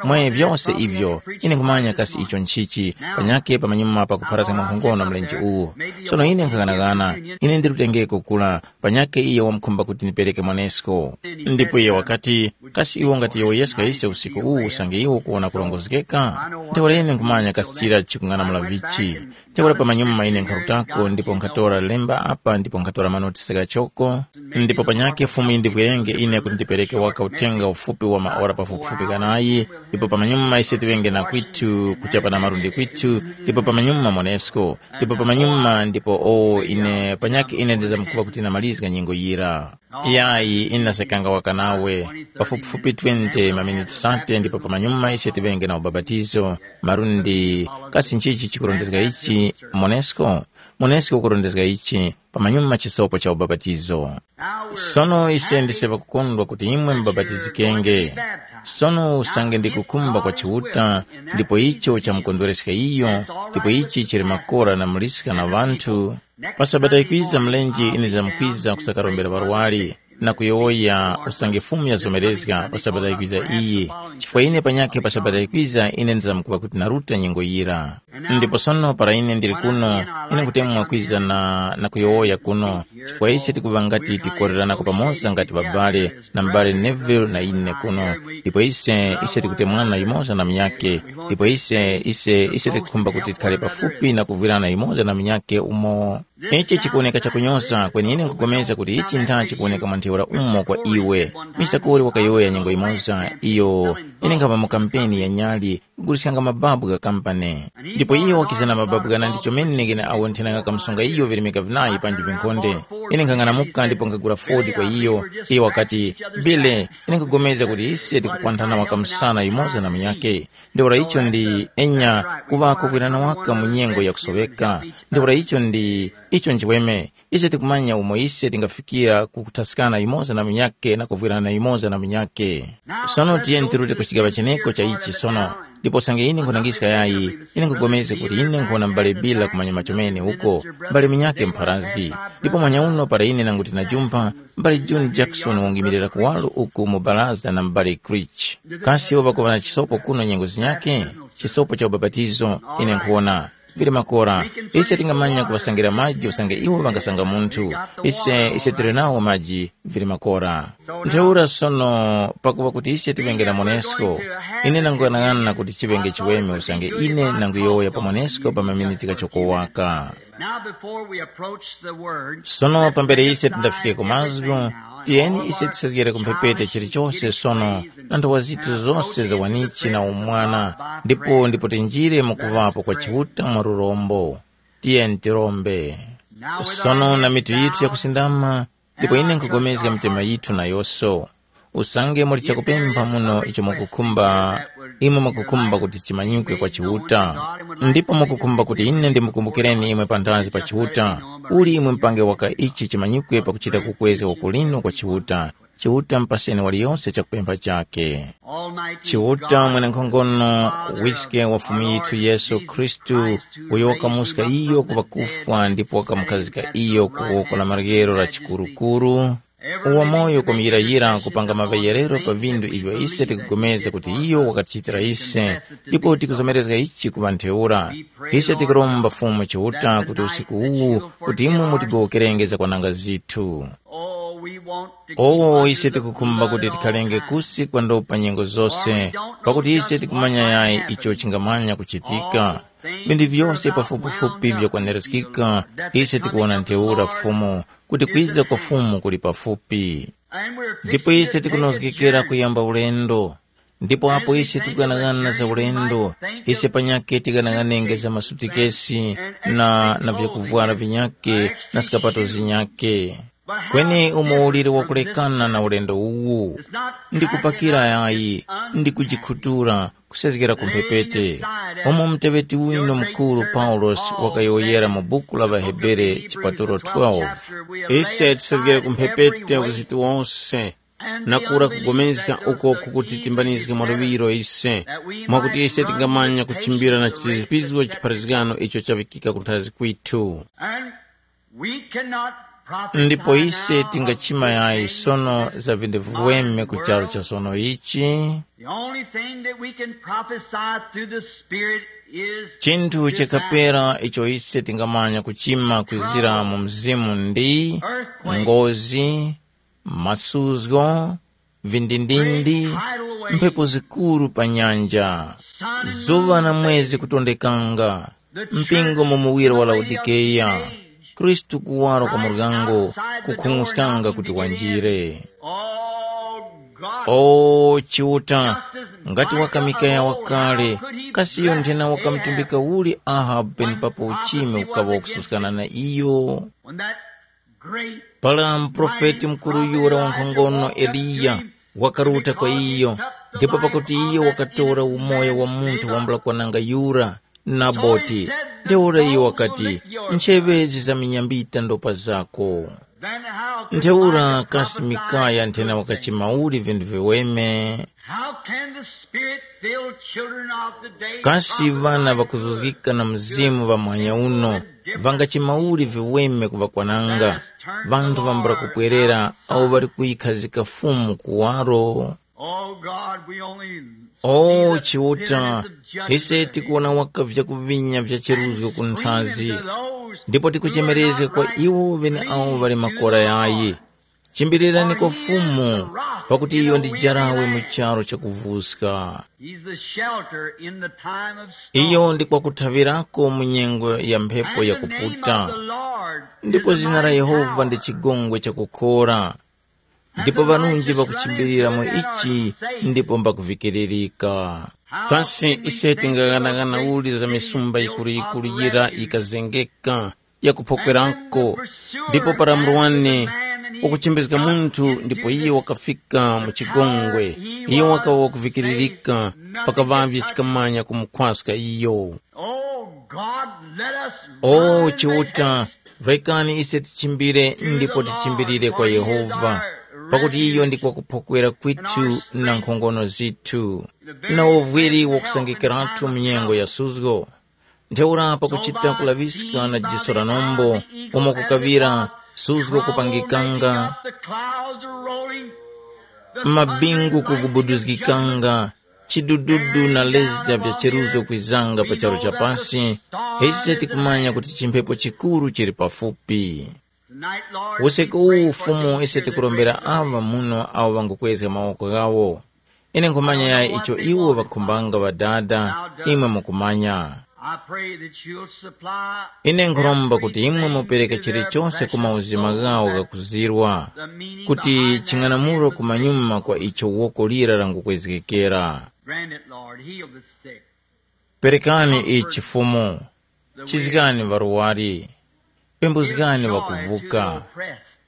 mwe vyose ivyo, ine nkhumanya kasi icho nchichi, panyakhe pamanyuma pakupharazga mwankhongono mlenje uwu. Sono ine nkhaghanaghana, ine ndirutengeko kula, panyakhe iyo wamkhumba kuti ndipereke monesko. Ndipo iye wakati, kasi iwo ngati yowoyeska ise usiku uwu usange iwo kuwona kurongozgeka? Ntheura ine nkhumanya kasi chira chikung'anamula vichi. Ntheura pamanyuma ine nkharutako ndipo nkhatora lemba apa ndipo nkhatora manotisi ghachoko. Ndipo panyakhe Fumu yindivwerenge ine kuti ndipereke waka uthenga ufupi wa maora pafupifupi ghanayi, ndipo pamanyuma ise tiŵenge na kwithu kuchapa na malundi kwithu, ndipo pamanyuma monesko, ndipo pamanyuma ndipo o ine panyakhe ine ndizamkuŵa kuti namalizga nyengo yira. Yayi, ine ndasekanga waka nawe, pafupifupi twenty maminiti sate ndipo pamanyuma ise tiŵenge na ubapatizo, malundi, kasi nchichi chikurondezga ichi, monesko? Muneske ukurondezga ichi pamanyuma chisopo cha ubapatizo. Sono ise ndise ŵakukondwa kuti imwe mubabatizikenge. Sono usange ndi kukhumba kwa Chiuta, ndipo icho chamukondwereska iyo, ndipo ichi chili makora na muliska na ŵanthu, pa Sabata yikwiza mlenje ine ndizamkwiza kusakarombera ŵarwari, na kuyowoya usange Fumu yazomerezga pa Sabata yikwiza iyi, chifukwa ine panyakhe pa Sabata yikwiza ine ndizamkuŵa kuti naruta nyengo yira. Ndipo sono para ine ndili kuno, ine nkutemwa kwiza na, na kuyowoya kuno, chifukwa ise tikuŵa ngati tikoreranako pamoza ngati ŵabale, na m'bale Neville na ine kuno, ndipo ise, ise tikutemwana yumoza na munyakhe, ndipo ise, ise, ise tikukhumba kuti tikhale pafupi na kuvwirana yumoza na munyakhe umo. Ichi chikuwoneka chakunyoza, kweni ine nkupulikana kuti ichi ntha chikuwoneka mwa ntheura umo kwa iwe. Misakori wakayowoya nyengo yimoza, iyo ine nkhapa mu kampeni ya nyali, kuguliskanga mababu gha kampani. Ndipo iyo wakiza na mababu ghanandi chomene ghene awo nthenanga kamsonga iyo virimika vinayi panji vinkhonde. Ine nkhang'anamuka ndipo nkhagula Ford kwa iyo. Iyo wakati, Billy, ine nkhugomezga kuti ise tikukwanthana waka msana yumoza na munyakhe. Ntheura icho ndi enya kuŵako kwirana waka mu nyengo yakusoŵeka. Ntheura icho ndi icho nchiweme. Ise tikumanya umo ise tingafikira ku kuthaskana yumoza na munyakhe na kuvwirana yumoza na munyakhe. Sono tiyeni tirute ku chigaŵa cheneko cha ichi sono. Ndipo usange ine nkhulangiska yayi, ine nkhupulikana kuti ine nkhuwona m'bale Bila kumanyuma chomene uko, m'bale munyakhe mpharazgi. Ndipo mwanyauno para ine nanguti najumpha, m'bale June Jackson wangimirira kuwaro uku mu baraza na m'bale Creech. Kasi iwo ŵakuŵa na chisopo kuno nyengo zinyakhe? Chisopo cha ubapatizo, ine nkhuwona. Vili makora, ise tingamanya kuŵasangira maji usange iwo ŵangasanga munthu. Ise, ise tili nawo maji, vili makora. Ntheura sono, pakuŵa kuti ise tiŵenge na monesko, ine nanguyang'ana kuti chiŵenge chiweme usange ine nanguyowoya pa monesko pa maminiti ghachoko waka. Now, before we approach the word, sono pambere ise tindafikeko mazgu, tiyeni ise tisazgere ku mphepete chilichose sono, na nthowa zithu zose za wanichi na umwana, ndipo ndipo tinjire mu kuŵapo kwa Chiuta mwa lurombo. Tiyeni tirombe. Sono na mitu yithu yakusindama, ndipo ine nkhupulikana mitema yithu nayonso. Usange muli chakupempha muno icho mukukhumba, imwe mukukhumba kuti chimanyikwe kwa Chiuta. Ndipo mukukhumba kuti ine ndimukumbukireni imwe panthazi pa Chiuta, uli imwe mupange waka ichi chimanyikwe pakuchita kukwezga ukulino kwa Chiuta. Chiuta mpaseni waliyose chakupempha chakhe. Chiuta mwenenkhongono, wiske wa Fumu yithu Yesu Khristu, uyo wakamuska iyo ku ŵakufwa ndipo wakamukhazika iyo ku woko la maryero la chikurukuru, uwa moyo kwamuyirayira kupanga maŵeyerero pa vindu ivyo ise tikupulikana kuti iyo wakatichitira ise, ndipo tikuzomerezga ichi kuŵa ntheura. Ise tikuromba Fumu Chiuta kuti usiku uwu kuti imwe mutigowokerenge zakwananga zithu. Oh, we want to keep owo under ise the tikukhumba blood kuti at all tikhalenge times. Kusi kwa ndopa nyengo zose, pakuti ise tikumanya yayi icho chingamanya kuchitika. Vindu vyose pafupifupi vyakwaniraskika, ise tikuwona ntheura Fumu, kuti kwiza kwa Fumu kuli pafupi. Ndipo ise tikunozgekera kuyamba ulendo. Ndipo apo ise tikughanagana za ulendo, ise panyakhe tighanaghanenge za masutikesi na, na vyakuvwara vinyakhe na skapato zinyakhe. Kweni umo uliri wakulekana na ulendo uwu? Ndi kupakira yayi, ndi kujikhutura, kusezgera ku mphepete. Umo muteŵeti winu mukuru Paulosi wakayowoyera mu buku la ŵaHebere chipatulo twelve. Ise tisezgere ku mphepete uziti wose, na kura kugomezga uko kukutitimbanizga mwa luŵiro ise, mwakuti ise tingamanya kuchimbira na chizipizgo chipharazgano icho chaŵikika kunthazi kwithu. And we cannot prophesy. Ndipo ise now tingachima of yayi things sono za vindu viweme ku charu cha sono ichi. The only thing that we can prophesy through the Spirit is chinthu chakapera icho ise tingamanya kuchima kwizira mu mzimu ndi earthquake, ngozi, masuzgo, vindindindi, mphepo zikuru pa nyanja, zuŵa na mwezi kutondekanga, mpingo mu muwiro wa Laodikeya, Khristu kuwaro kwa muryango, kukhung'uskanga kuti wanjire. O Chiuta, ngati waka Mikaya wakale, kasi iyo nthena wakamutumbika uli Ahabu penepapo uchime ukaŵa wakususkana na iyo? Para muprofeti mukuru yura wankhongono Eliya wakaruta kwa iyo, ndipo pakuti iyo wakatora umoyo wa munthu wambula kwananga yura, Naboti. Ntheura iyo wakati, ncheŵe zizaminyambita ndopa zako. Ntheura kasi Mikaya nthena wakachima uli vinthu viweme? How can the spirit filled children of the day Kasi ŵana ŵakuzuzgika na mzimu ŵa mwanya uno ŵangachima uli viweme kuŵakwananga, ŵanthu ŵambula kupwerera awo ŵali kuyikhazika Fumu kuwaro? Oh God, we only O Chiuta, ise tikuwona waka vyakuvinya vya cheruzgo ku nthazi, ndipo tikuchemerezga kwa iwo ŵeneawo ŵali makora yayi. Chimbirirani kwa Fumu, pakuti iyo ndi jarawe mu charu chakuvuska. He's the shelter in the time of storm. Iyo ndi kwakuthavirako mu nyengo ya mphepo And the name of yakuputa. The Lord Ndipo is a zina la mighty Yehova ndi tower. Chigongwe chakukhora. Ndipo ŵanunji ŵakuchimbilira mu ichi ndipo mbakuvikiririka. Kasi ise tingaghanagana uli za misumba yikuru-yikuru yira yikazengeka yakuphokwerako, ndipo para murwani wakuchimbizga munthu ndipo iye wakafika mu chigongwe, iye wakawa wakuvikiririka, pakaŵavye chikamanya kumukhwaska iyo. Oh God, let us O run Chiuta, rekani ise tichimbire ndipo tichimbirire kwa Yehova, pakuti iyo ndi kwakuphokwera kwithu na nkhongono zithu, na uvwiri wakusangikiratu mu nyengo ya suzgo. Ntheura pakuchita kulaŵiska na jiso la nombo, umo kukaŵira suzgo kupangikanga, mabingu mabingu kugubuduzgikanga, chidududu na leza vya cheruzo kwizanga pa charu cha pasi, ise tikumanya kuti chimphepo chikuru chili pafupi. Usiku uwu Fumu ise tikurombera aŵa muno awo ŵangukwezga mawoko ghawo. Ine nkhumanya ya icho iwo ŵakhumbanga Ŵadada, imwe mukumanya. I pray that you'll supply Ine nkhuromba kuti imwe mupereke chilichonse ku mauzima ghawo ghakuzirwa, kuti ching'anamulo kumanyuma kwa icho woko lira langukwezgekera. Grant it, Lord. Heal the sick. Perekani ichi Fumu, chizgani ŵarwari, pembuzgani ŵakuvuka,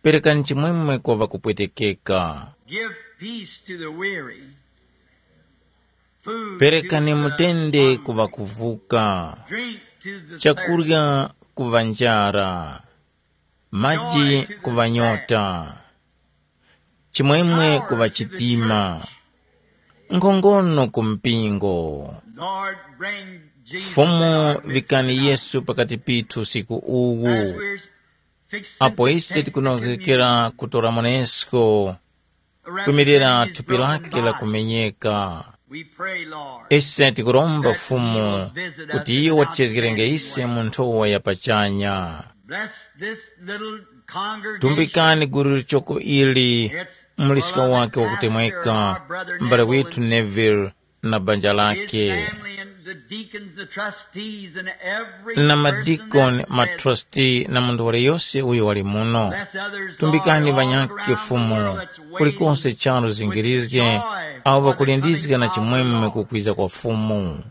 perekani chimwemwe kwa ŵakupwetekeka. Give peace to the weary. Food to Perekani the mutende ku hungry. Ŵakuvuka, Drink to the thirsty. Chakurya ku ŵanjara, maji ku ŵanyota, chimwemwe ku ŵachitima, nkhongono ku mpingo. Lord, bring Jesus Fumu, vikani Yesu pakati pithu usiku uwu. As we're fixing Apo ise tikunozgekera kutora monesko, kumirira thupi lake la kumenyeka. We pray, Lord, ise tikuromba Fumu kuti iyo watichezgerenge ise mu nthowa ya pachanya. Bless this little congregation. Tumbikani gulu lichoko ili, muliska wake wakutemweka, mbale withu Neville na banja lake, family and the deacons, the trustees, and every na person madikoni, that's present. Matrustee na munthu waliyose uyo wali muno. Bless others, tumbikani Lord, all ŵanyakhe around the Fumu world that's waiting kulikonse charu with zingirizge, joy awo for the ŵakulindizga coming na of the chimwemwe Lord. Kukwiza kwa Fumu.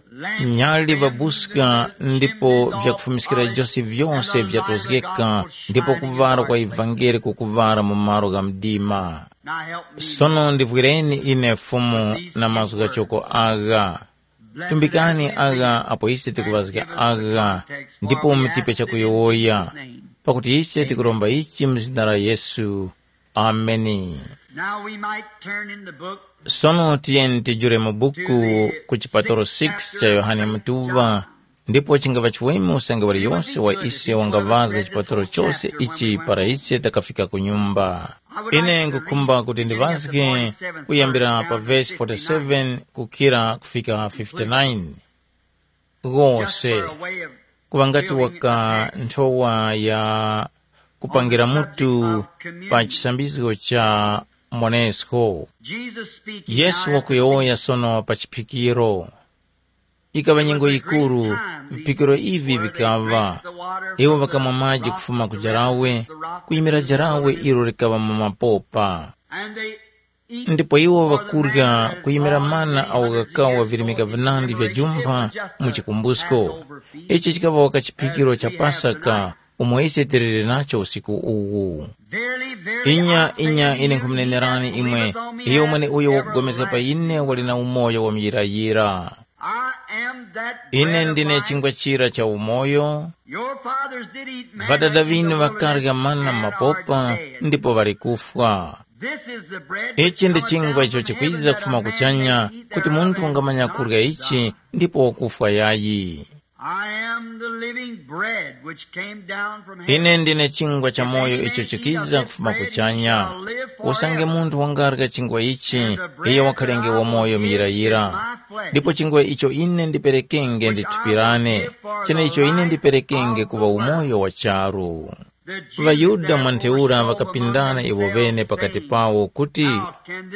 Nyali ŵabuska, ndipo vyakufumiskira vyose vyose vyatozgeka, ndipo kuŵala kwa ivangeli kukuŵala mu malo gha mdima. Sono ndivwireni ine Fumu na mazgu ghachoko agha. Tumbikani agha apo ise tikuŵazga agha, ndipo mutipe chakuyowoya, pakuti ise tikuromba ichi mu zina la Yesu. Ameni. Now we might turn in the book. Sono tiyeni tijule mu buku ku chipatolo six cha Yohane Mutuŵa, ndipo chingaŵa chiweme usange waliyose wa ise wangaŵazga chipatolo chose ichi para ise takafika ku nyumba. Ine ngukhumba kuti ndiŵazge kuyambira pa vesi forty-seven kukhira kufika fifty-nine. Ghose kuŵa ngati waka nthowa ya kupangira mutu pa chisambizgo cha monesko. Yesu wakuyowoya sono pa chiphikiro. Ikaŵa nyengo yikuru, viphikiro ivi vikaŵa. Iwo ŵakamwa maji kufuma ku jarawe, kuyimira jarawe ilo likaŵa mu mapopa. Ndipo iwo ŵakurya kuyimira mana awo ghakawa virimika vinandi vya jumpha mu chikumbusko. Ichi chikaŵa waka chiphikiro cha Pasaka, umo ise tiliri nacho usiku uwu. Inya, inya, ine nkhumunenerani imwe, iyo mweneuyo wakupulikana pa ine wali na umoyo wa muyirayira. am that Ine bread of ndine life. Chingwa chira cha umoyo. Your fathers did eat manna Ŵadada in the ŵinu wilderness ŵakarya mana and are m'mapopa dead. Ndipo ŵali kufwa. This is the bread which Ichi ndi cometh chingwa down icho from heaven, chikwiza that a kufuma man kuchanya may eat kuti thereof munthu and wangamanya not kurya ichi die. Ndipo wakufwa yayi. I am the living bread which came down from heaven. Ine ndine chingwa cha moyo icho chikiza kufuma kuchanya. Usange munthu wangarya chingwa ichi, iye wakhalenge wamoyo muyirayira. Ndipo chingwa icho ine ndiperekenge ndi thupi lane, chene icho ine ndiperekenge kuŵa umoyo wa charu. VaYuda mwa ntheura ŵakapindana iwo ŵene pakati pawo kuti,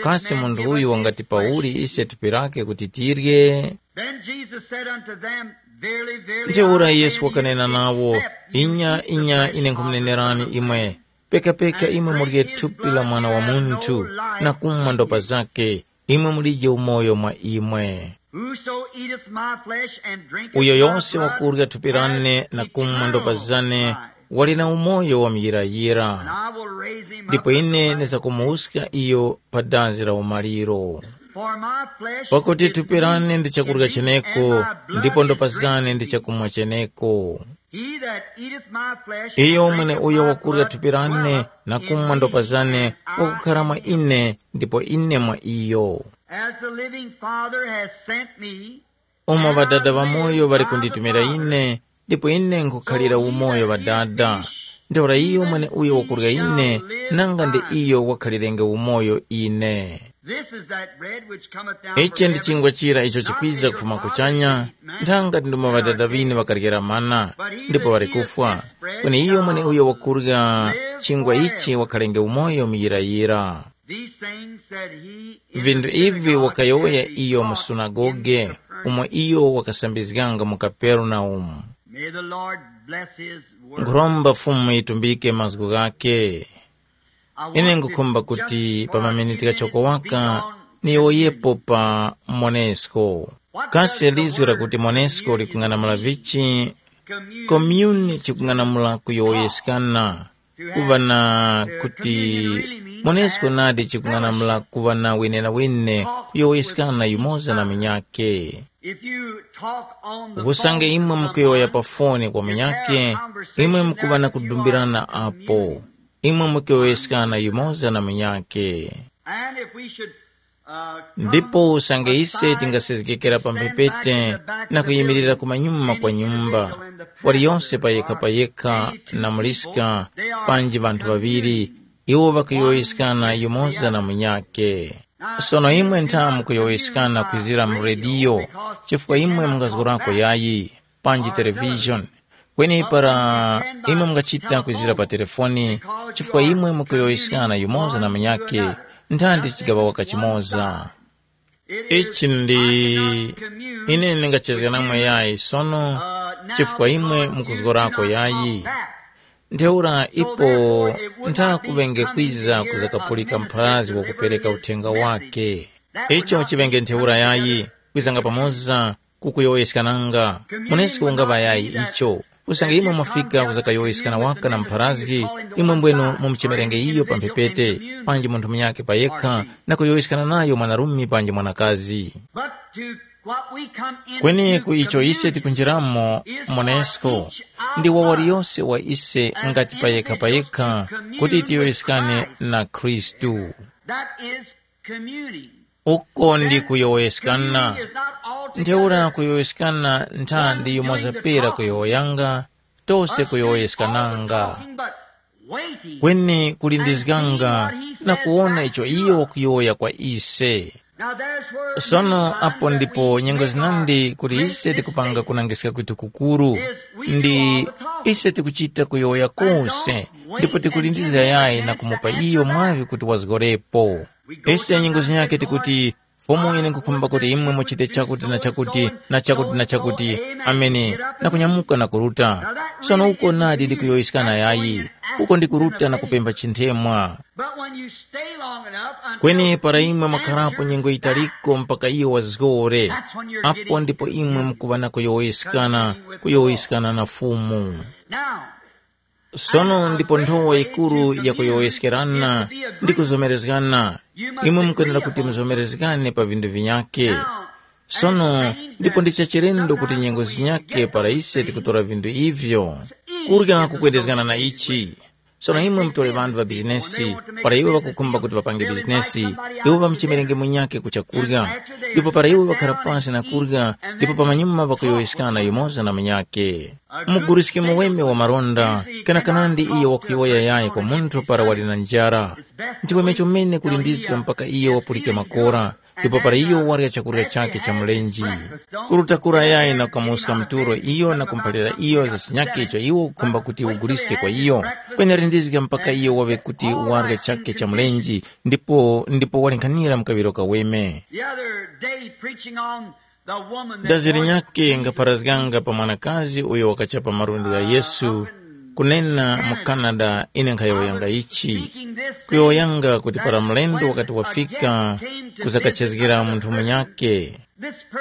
kasi munthu uyu wangati pauli ise thupi lake kuti tirye? Then Jesus said unto them, Verily, verily, Ntheura I Yesu say unto wakanena you, nawo, except you inya eat the inya flesh ine of the nkumunenerani Son of imwe, Man, pekapeka and imwe drink murye his thupi la blood, Mwana wa you have Munthu, no life na kumwa in ndopa you. Zake, imwe mulije umoyo mwa imwe. Whoso eateth my flesh and drinketh Uyo my yonse blood wakurya thupi has lane na kumwa ndopa eternal zane life. Wali na umoyo wa And muyirayira, I will raise him up ndipo at the ine last ndizakumuwuska iyo pa dazi la umaliro. For my flesh Pakuti is thupi lane meat ndi chakurya indeed, cheneko, and my blood ndipo is ndopa drink zane ndi indeed. Chakumwa cheneko. He that eateth my flesh Iyo and mwene drinketh uyo my wakurya blood thupi lane dwelleth na in kumwa ndopa me, zane and I wakukhala mwa in him. Ine, ndipo ine mwa iyo. As the living Father has sent me, Umo Ŵadada ŵamoyo ŵali kunditumira ine, ndipo ine nkhukhalira umoyo Ŵadada. Ntheura iyo mweneuyo wakurya ine, nanga ndi iyo wakhalirenge umoyo ine. This is that bread which cometh down Ichi from ndi heaven, chingwa chira icho not chikwiza taken kufuma from kuchanya, the earth, nthanga ndi umo Ŵadada ŵinu ŵakaryera mana, ndipo ŵali kufwa. Kweni iyo mweneuyo wakurya chingwa ichi wakhalenge umoyo muyirayira. These things said he in the Vinthu ivi synagogue wakayowoya as he iyo mu taught in sunagoge, Capernaum. Umo iyo wakasambizganga mu Kaperenaumu. May the Lord bless his word. Nkhuromba Fumu yitumbike mazgu ghake. I Ine want to ngukhumba just kuti for pa a maminiti few ghachoko minutes waka speak on niyowoyepo pa Monesko. What does Kasi the lizwi word lakuti Monesko communion likung'anamula mean? Vichi? Communion Komyuni means chikung'anamula kuyowoyeskana. Kuŵa na kuti Monesko nadi chikung'anamula kuŵa na wenenawene kuyowoyeskana yumoza na munyakhe. Usange imwe mukuyowoya pa foni kwa munyakhe, imwe mukuŵa na kudumbirana apo. Imwe mukuyowoyeskana yumoza na munyakhe. Ndipo usange ise tingasezgekera pa mphepete na kuyimirira kumanyuma kwa nyumba, waliyose payekha-payekha na muliska, panji ŵanthu ŵaŵiri, iwo ŵakuyowoyeskana yumoza na munyakhe. Sono imwe ntha mukuyowoyeskana kwizira mu rediyo, chifukwa imwe mungazgorako yayi, panji televishoni. Kweni para imwe mungachita kwizira pa telefoni, chifukwa imwe mukuyowoyeskana yumoza na munyakhe, nthandi chigaŵa waka chimoza. Ichi ndi ine ndingachezga namwe yayi sono, chifukwa imwe mukuzgorako yayi. Ntheura ipo ntha kuŵenge kwiza kuzakapulika mphazi wakupereka uthenga wake. Icho chiŵenge ntheura yayi, kwizanga pamoza kukuyowoyeskananga. Munesko ungaŵa yayi icho. Usange imwe mwafika kuzakayowoyeskana waka na mpharazgi, imwe mbwenu mumuchemerenge iyo pa mphepete, panji munthu munyakhe payekha, na kuyowoyeskana nayo mwanarume panji mwanakazi. But to what we come in Kweni ku icho ise communion tikunjiramo is for monesko, each of ndi wa us waliyonse wa ise as ngati payekha individuals payekha, to commune kuti with tiyowoyeskane Christ. Na Khristu. That is communing. Uko ndi kuyowoyeskana. Ntheura kuyowoyeskana nthandi yumoza pera kuyowoyanga, tose kuyowoyeskananga. Kweni kulindizganga na kuwona icho iyo wakuyowoya kwa ise. Sono apo ndipo nyengo zinandi kuti ise tikupanga kunangiska kwitu kukuru, ndi ise tikuchita kuyowoya kose, ndipo tikulindizga yayi na kumupa iyo mwaŵi kuti wazgorepo. Ise nyengo zinyakhe tikuti, Fumu, ine nkhukhumba kuti imwe muchite chakuti na chakuti na chakuti na chakuti, amene, na kunyamuka na kuruta. Sono uko nadi ndi kuyowoyeskana yayi, uko ndi kuruta na kupempha chinthemwa. But when you stay long enough until Kweni para imwe mwakharapo nyengo yitaliko mpaka iyo wazgore, apo ndipo imwe mukuŵa na kuyowoyeskana, kuyowoyeskana na Fumu. Now, Sono ndipo nthowa yikuru ya kuyowoyeskerana ndi kuzomerezgana. Imwe mukwenera kuti muzomerezgane pa vinthu vinyakhe. Sono, ndipo ndi chachilendo kuti nyengo zinyake para ise tikutora vinthu ivyo, kurya kukwendezgana na ichi. Sono imwe mutore ŵanthu ŵa bizinesi, para iwo ŵakukhumba kuti ŵapange bizinesi, iwo ŵamuchemerenge munyakhe ku chakurya, ndipo para iwo ŵakhara pasi na kurya, ndipo pamanyuma ŵakuyowoyeskana yumoza na munyakhe. Muguriskimo weme wa maronda, kanakanandi iyo wakuyowoya yayi kwa munthu para wali na njara. Nchiweme chomene kulindizga mpaka iyo wapulike makora, ndipo para iyo warya chakurya chakhe cha mlenje. Kuruta kura yayi na kukamuska mturo iyo na kumuphalira iyo za chinyakhe icho iwo ukukhumba kuti uguliske kwa iyo, kwenera lindizga mpaka iyo waŵe kuti warya chakhe cha mlenje, ndipo ndipo walinkhanira mkaŵiro kaweme. The other day, preaching on the woman that Dazi wore linyakhe ngapharazganga pa mwanakazi uyo wakachapa malundi gha Yesu, kunena mu Canada, ine nkhayowoyanga ichi. Kuyowoyanga kuti para mlendo wakati wafika, kuzakachezgera munthu munyakhe.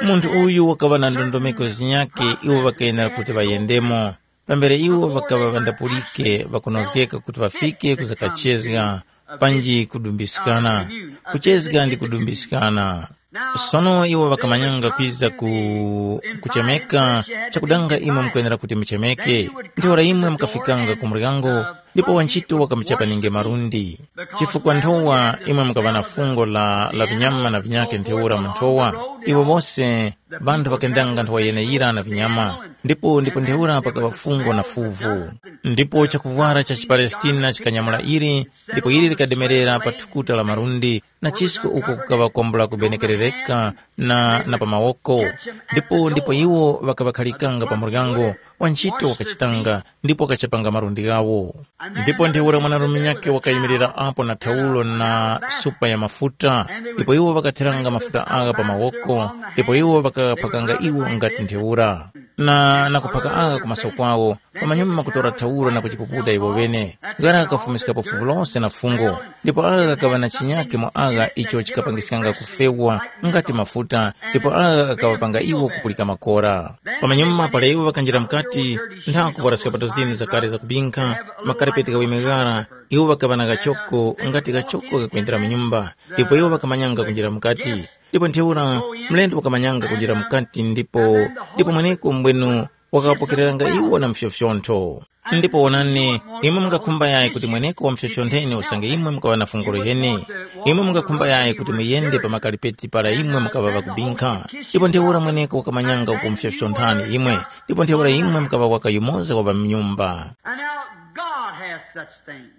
Munthu uyu wakaŵa na ndondomeko zinyakhe iwo ŵakenera kuti ŵayendemo. Pambere iwo ŵakaŵa ŵandapulike ŵakunozgeka kuti ŵafike kuzakachezga, panji kudumbiskana. Kuchezga ndi kudumbiskana. Sono iwo ŵakamanyanga kwiza ku kuchemeka, chakudanga imwe mukwenera kuti muchemeke. Ntheura imwe mukafikanga ku muryango, ndipo wantchito wakamuchapaninge malundi. Chifukwa nthowa imwe mukaŵa na fungo la, la vinyama na vinyake ntheura mu nthowa, iwo wose ŵanthu ŵakendanga nthowa yeneyira na vinyama, ndipo ndipo ntheura pakaŵa fungo na fuvu. Ndipo chakuvwara cha chiPalestina chikanyamula ili, ndipo ili likademerera pa thukuta la malundi, na chisko uko kukaŵa kwambula kubenekerereka na, na pa mawoko. Ndipo ndipo iwo ŵakaŵakhalikanga pa muryango, wantchito wakachitanga, ndipo wakachapanga malundi ghawo. Ndipo ntheura mwanarume nyakhe wakayimirira apo na thaulo na supa ya mafuta, ndipo iwo ŵakathiranga mafuta agha pa mawoko, ndipo iwo ŵakaphakanga iwo ngati ntheura, na, na kuphaka agha ku maso kwawo, pamanyuma kutora thaulo na kuchipuputa iwo ŵene. Ghara ghakafumiskapo fuvu lose na fungo, ndipo agha ghakaŵa na chinyakhe mu agha icho chikapangiskanga kufewa ngati mafuta, ndipo agha ghakaŵapanga iwo kupulika makora. Pamanyuma para iwo ŵakanjira mukati, nthawa kuvwara sapato zinu zakale zakubinkha, makarapeti ghaweme ghara, iwo ŵakaŵa na ghachoko ngati ghachoko ghakwendera mu nyumba, ndipo iwo ŵakamanyanga kunjira mukati. Ndipo ntheura mlendo wakamanyanga kunjira mukati ndipo ndipo mweneko mbwenu wakaŵapokereranga iwo na mfyofyontho. Ndipo wonani, imwe mungakhumba yayi kuti mweneko wamfyofyontheni usange imwe mukaŵa na fungo loyene. Imwe mungakhumba yayi kuti muyende pa makalipeti para imwe mukaŵa ŵakubinkha. Ndipo ntheura mweneko wakamanyanga ukumfyofyonthani imwe, ndipo ntheura imwe mukaŵa waka yumoza wa ŵamnyumba. And now God has such things.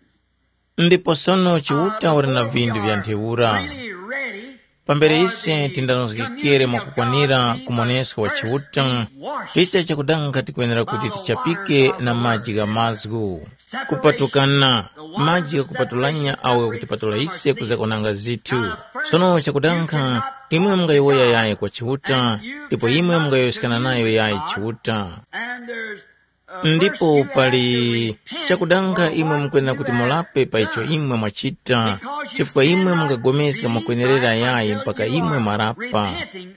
Ndipo sono Chiuta uli na vinthu vya ntheura. Really ready. Pambere ise tindanozgekere mwakukwanira kumoneska wa Chiuta, ise chakudanga tikwenera kuti tichapike na maji gha mazgu. Kupatukana, maji ghakupatulanya awo ghakutipatula ise kuzakonanga zithu. Sono chakudanga, imwe mungayowoya yayi kwa Chiuta, ndipo imwe mungayowoyeskana nayo yayi Chiuta. Ndipo pali chakudanga imwe mukwenera kuti mulape pa icho imwe mwachita, chifukwa imwe mungapulikana mwakwenerera yayi mpaka imwe mwarapa.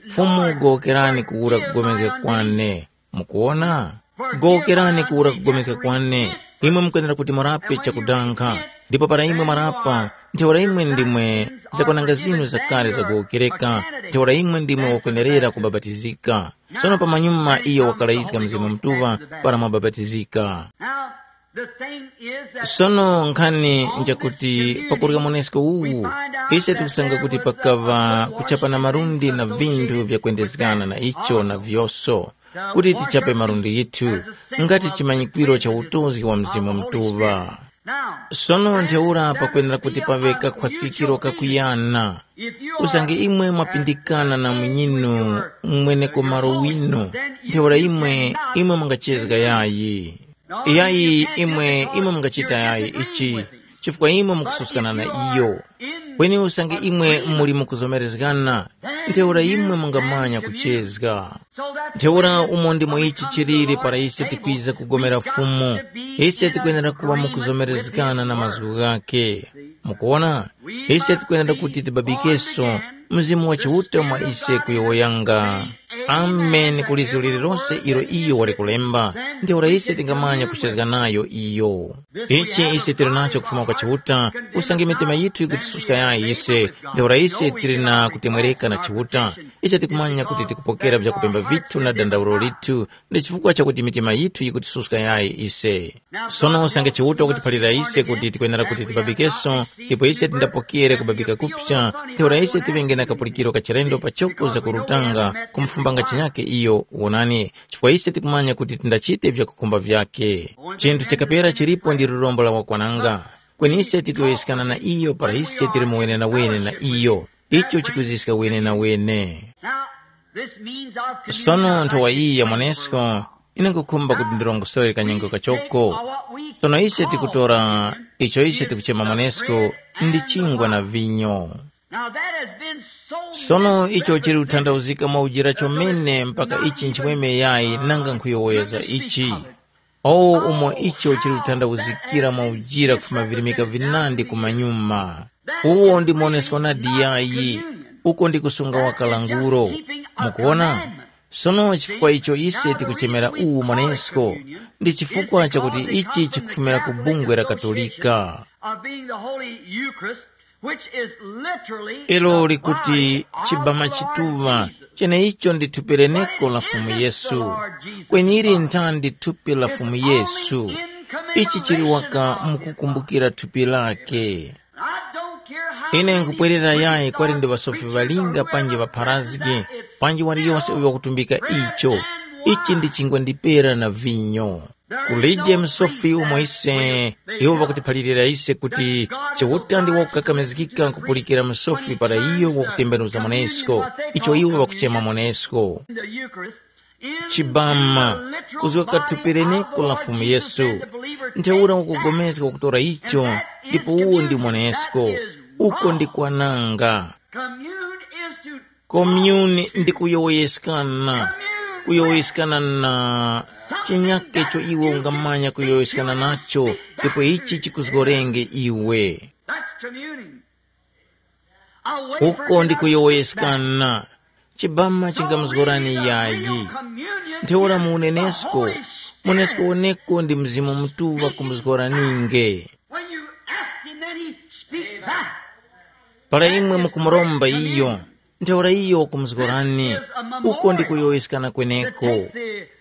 Fumu gowokerani kuwura kugomezga kwane. Mukuwona? Gowokerani kuwura kugomezga kwane. Imwe mukwenera kuti murape chakudanga. Ndipo para imwe mwarapa, ntheura imwe ndimwe zakwananga zinu zakale zagowokereka, ntheura imwe ndimwe wakwenerera kubapatizika. Sono pamanyuma iyo wakalayizga Mzimu Mutuŵa para mwabapatizika. Now, the thing is that Sono nkhani njakuti pakurya monesko uwu, ise tikusanga kuti pakaŵa kuchapana malundi na vinthu vyakwendezgana na icho na vyoso, kuti tichape malundi yithu, ngati chimanyikwiro cha utongi wa Mzimu Mutuŵa. Sono ntheura pakwenera kuti paŵe kakhwasikikiro kakuyana. Usange imwe mwapindikana na munyinu mweneko malo winu, ntheura imwe, imwe mungachezga yayi. Yayi imwe, imwe mungachita yayi ichi, chifukwa imwe mukususkana na iyo. Kweni usange imwe muli mukuzomerezgana, ntheura imwe mungamanya kuchezga. Ntheura umo ndimo ichi chiliri para ise tikwiza kugomera Fumu, ise tikwenera kuŵa mukuzomerezgana na mazgu ghakhe. Mukuwona? Ise tikwenera kuti tibabikeso Mzimu wa Chiuta mwa ise kuyowoyanga. Amen ku lizgu lililonse ilo iyo wali kulemba. Ntheura ise tingamanya kuchezga nayo iyo. Ichi ise tili nacho kufuma kwa Chiuta, usange mitima yithu yikutisuska yayi ise. Ntheura ise tili na kutemwereka na Chiuta. Ise tikumanya kuti tikupokera vyakupemba vithu na dandaulo lithu, ndi chifukwa chakuti mitima yithu yikutisuska yayi ise. Sono usange Chiuta wakutiphalira ise kuti tikwenera kuti tibabikenso, ndipo ise tindapokere kubabika kupsa, ntheura ise tiŵenge na kapulikiro kachilendo pachoko za kurutanga kumufumbanga chinyake iyo. Wonani, chifukwa ise tikumanya kuti tindachite vyakukhumba vyake. Chinthu chakapera chilipo ndi lurombo la wakwananga. Kweni ise tikuyowoyeskana na iyo para ise tili mu wenenawene na iyo. Icho chikuziska wenenawene. Now, this means our communion. Sono nthowa iyi ya mwanesko, ine nkukhumba kuti ndirongosore kanyengo kachoko. Sono ise tikutora icho ise tikuchema mwanesko ndi chingwa na vinyo. Now that has been so. Sono icho chili kuthandauzika mwa ujira chomene mpaka ichi nchimweme yayi nanga nkhuyowoyeza ichi. Owo umo icho chili kuthandauzikira mwa ujira kufuma virimika vinandi kumanyuma. Uwo ndi monesko nadi yayi, uko ndi kusunga wa kalanguro. Mukuona? Sono chifukwa icho ise tikuchemera uwu monesko, ndi chifukwa chakuti ichi chikufumira ku bungwe la Katolika. Of being the Holy Eucharist, which is literally ilo the likuti body of chibama the Lord chituva Jesus. Cheneicho ndi thupi leneko la Fumu Yesu. Kwenyili nthandi thupi la Fumu Yesu? Ichi chili waka mukukumbukira thupi lake. I don't care how ine many nkupwerera yayi kwali ndi ŵasofi ŵalinga panji ŵapharazgi, panji waliyose uyo wakutumbika icho. Ichi ndi chingwa ndi pera na vinyo. Kulije msofi umo ise iwo ŵakutiphalirira ise kuti Chiuta ndi wakukakamizgika kupulikira msofi para iyo wakutembenuza monesko, icho iwo ŵakuchema monesko. Chibama, kuzgoka thupi leneko la Fumu Yesu. Ntheura ukugomezga kutora icho, ndipo uwo ndi monesko. Uko ndi kwananga. Komyuni ndi kuyowoyeskana. Kuyowoyeskana na chinyake icho iwe ungamanya kuyowoyeskana nacho, ndipo ichi chikuzgorenge iwe. That's communing. Uko ndi kuyowoyeskana. Chibama chingamuzgorani yayi. Ntheura mu unenesko, munenesko woneko ndi Mzimu Mutuŵa kumuzgoraninge. When you ask him, then he speaks back. Para imwe mukumuromba iyo, ntheura iyo wakumuzgorani. Uko ndi kuyowoyeskana kweneko.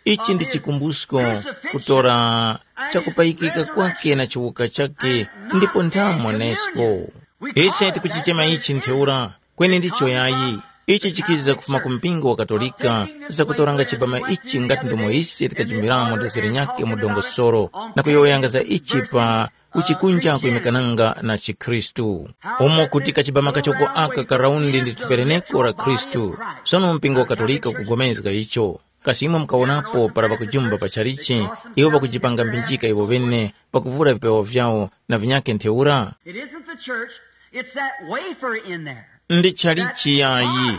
Ichi ndi chikumbusko kutora chakupayikika kwake na chiwuka chake, ndipo nthamonesko. Ise tikuchichema ichi ntheura, kweni ndicho yayi. Ichi chikiza kufuma ku mpingo wa Katolika, zakutoranga chibama ichi ngati ndomo ise tikajimbiramo dozere nyakhe mu dongosolo, na kuyowoyanga za ichi pa uchikunja kuyimekananga na chikhristu. Umo kuti kachibama kachoko aka karaundi ndi thupereneko la Khristu. Sono mpingo wa Katolika ukugomezga icho. Kasi imwe mukawonapo para ŵakujumba pa chalichi, iwo ŵakujipanga mbinjika iwo ŵene, ŵakuvura vipewa vyawo na vinyakhe ntheura? It isn't the church, it's that wafer in there. Ndi chalichi yayi,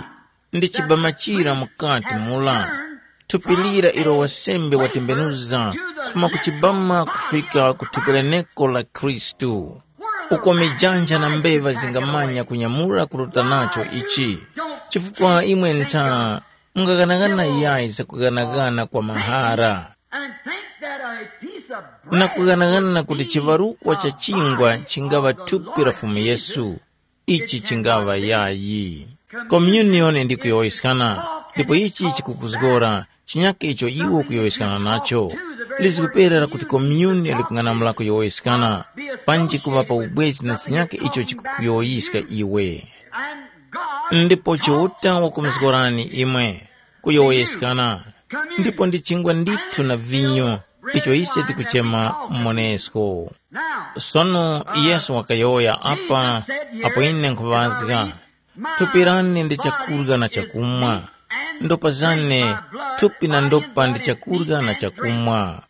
ndi chibama chira mukati mula. Thupi lira ilo wasembe watembenuza kufuma ku chibama kufika ku thupi leneko la Khristu. Uko mijanja na mbeva zingamanya kunyamura kuruta nacho ichi, chifukwa imwe ntha mungaghanagana yayi zakuganagana kwa mahara. And think that a piece of na bread kughanagana kuti chivarukwa cha chingwa chingava thupi la Fumu Yesu, ichi chingava yayi. Communion ndi kuyowoyeskana, ndipo ichi chikukuzgora chinyake icho iwe ukuyowoyeskana nacho. Lizguperera kuti communion likung'anamula kuyowoyeskana, panji kuŵa pa ubwezi na chinyake icho chikukuyowoyiska iwe. Ndipo Chiuta wakumuzgorani imwe kuyowoyeskana, ndipo ndi chingwa ndithu na vinyo icho ise tikuchema monesko. Sono Yesu wakayowoya apa, apo ine nkhuŵazga, thupi lane ndi chakurya na chakumwa, ndopa zane, thupi na ndopa ndi chakurya na chakumwa.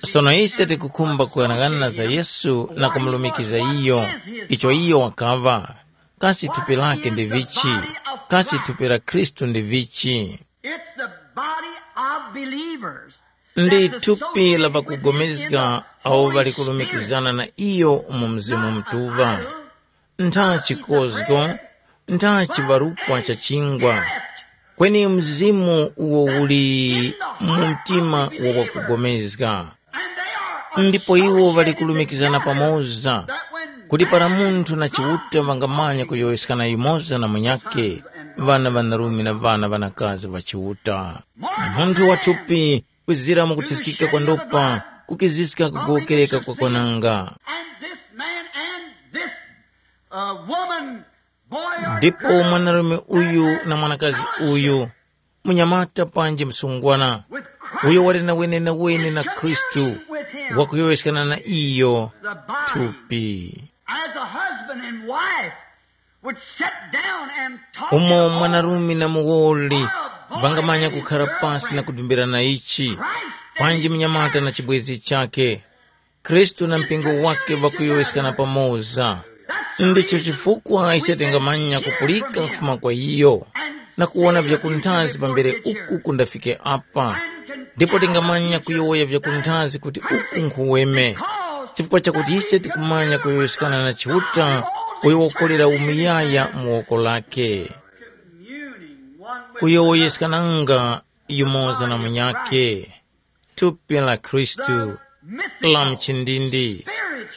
Sono ise tikukhumba kughanagana za Yesu na kumulumikiza iyo, icho iyo wakaŵa. Kasi thupi lake ndi vichi? Kasi thupi la Khristu ndi vichi? It's the body of believers. Ndi thupi la pakugomezga awo ŵali kulumikizana na iyo mu Mzimu Mutuŵa. Ntha chikozgo, ntha chibarukwa cha chingwa. Kweni mzimu uwo uli mu mtima wa wakugomezga. Ndipo iwo ŵali kulumikizana pamoza, kuti para munthu na Chiuta ŵangamanya kuyowoyeskana yumoza na munyakhe, ŵana ŵanarume na ŵana ŵanakazi ŵa Chiuta. Munthu wa thupi kwizira mu kuthiskika kwa ndopa, kukiziska kugowokereka kwa kwananga. And this man and this uh, woman, boy or Ndipo girl, mwanarume uyu na mwanakazi uyu, munyamata panji msungwana, with Christ, uyo wali na wenenawene na Khristu, wakuyowoyeskana na iyo thupi. As a husband and wife would sit down and talk Umo mwanarume na muwoli vangamanya kukhara pasi na kudumbirana ichi, panji mnyamata na chibwenzi chakhe. Khristu na mpingo wake ŵakuyowoyeskana pamoza. Ndicho chifukwa ise tingamanya kupulika kufuma kwa iyo, na kuwona vyakunthazi pambere uku kundafike apa. Ndipo tingamanya kuyowoya vyakunthazi kuti uku nkhuweme, chifukwa chakuti ise tikumanya kuyowoyeskana na Chiuta, uyo wakolera umuyaya mu woko lake. Kuyowoyeskananga yumoza na munyakhe, thupi la Khristu, la mchindindi,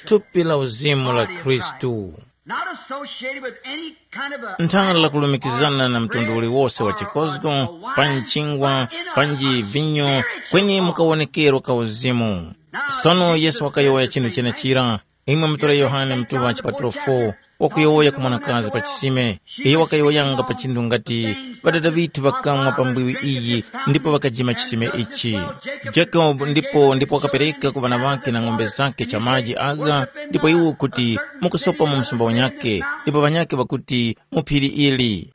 thupi la uzimu la Khristu. Not associated with any kind of a Nthana lakulumikizana na mtundu uliwose wa chikozgo, pa nchingwa, panji vinyo, kweni mukawonekero ka uzimu. Sono Yesu wakayowoya chinthu chenechira. Imwe mutore Yohane mutuŵa chipaturo four, wakuyowoya ku mwanakazi pa chisime. Iyo wakayowoyanga pa chinthu ngati, ŵadada ŵithu ŵakamwa pa mbwiwi iyi, ndipo ŵakajima chisime ichi. Jacob ndipo ndipo wakapereka ku ŵana ŵakhe na ng'ombe zakhe cha maji agha, ndipo iwo kuti, mukusopa mu msumba wanyakhe, ndipo ŵanyakhe ŵakuti, mu phiri ili.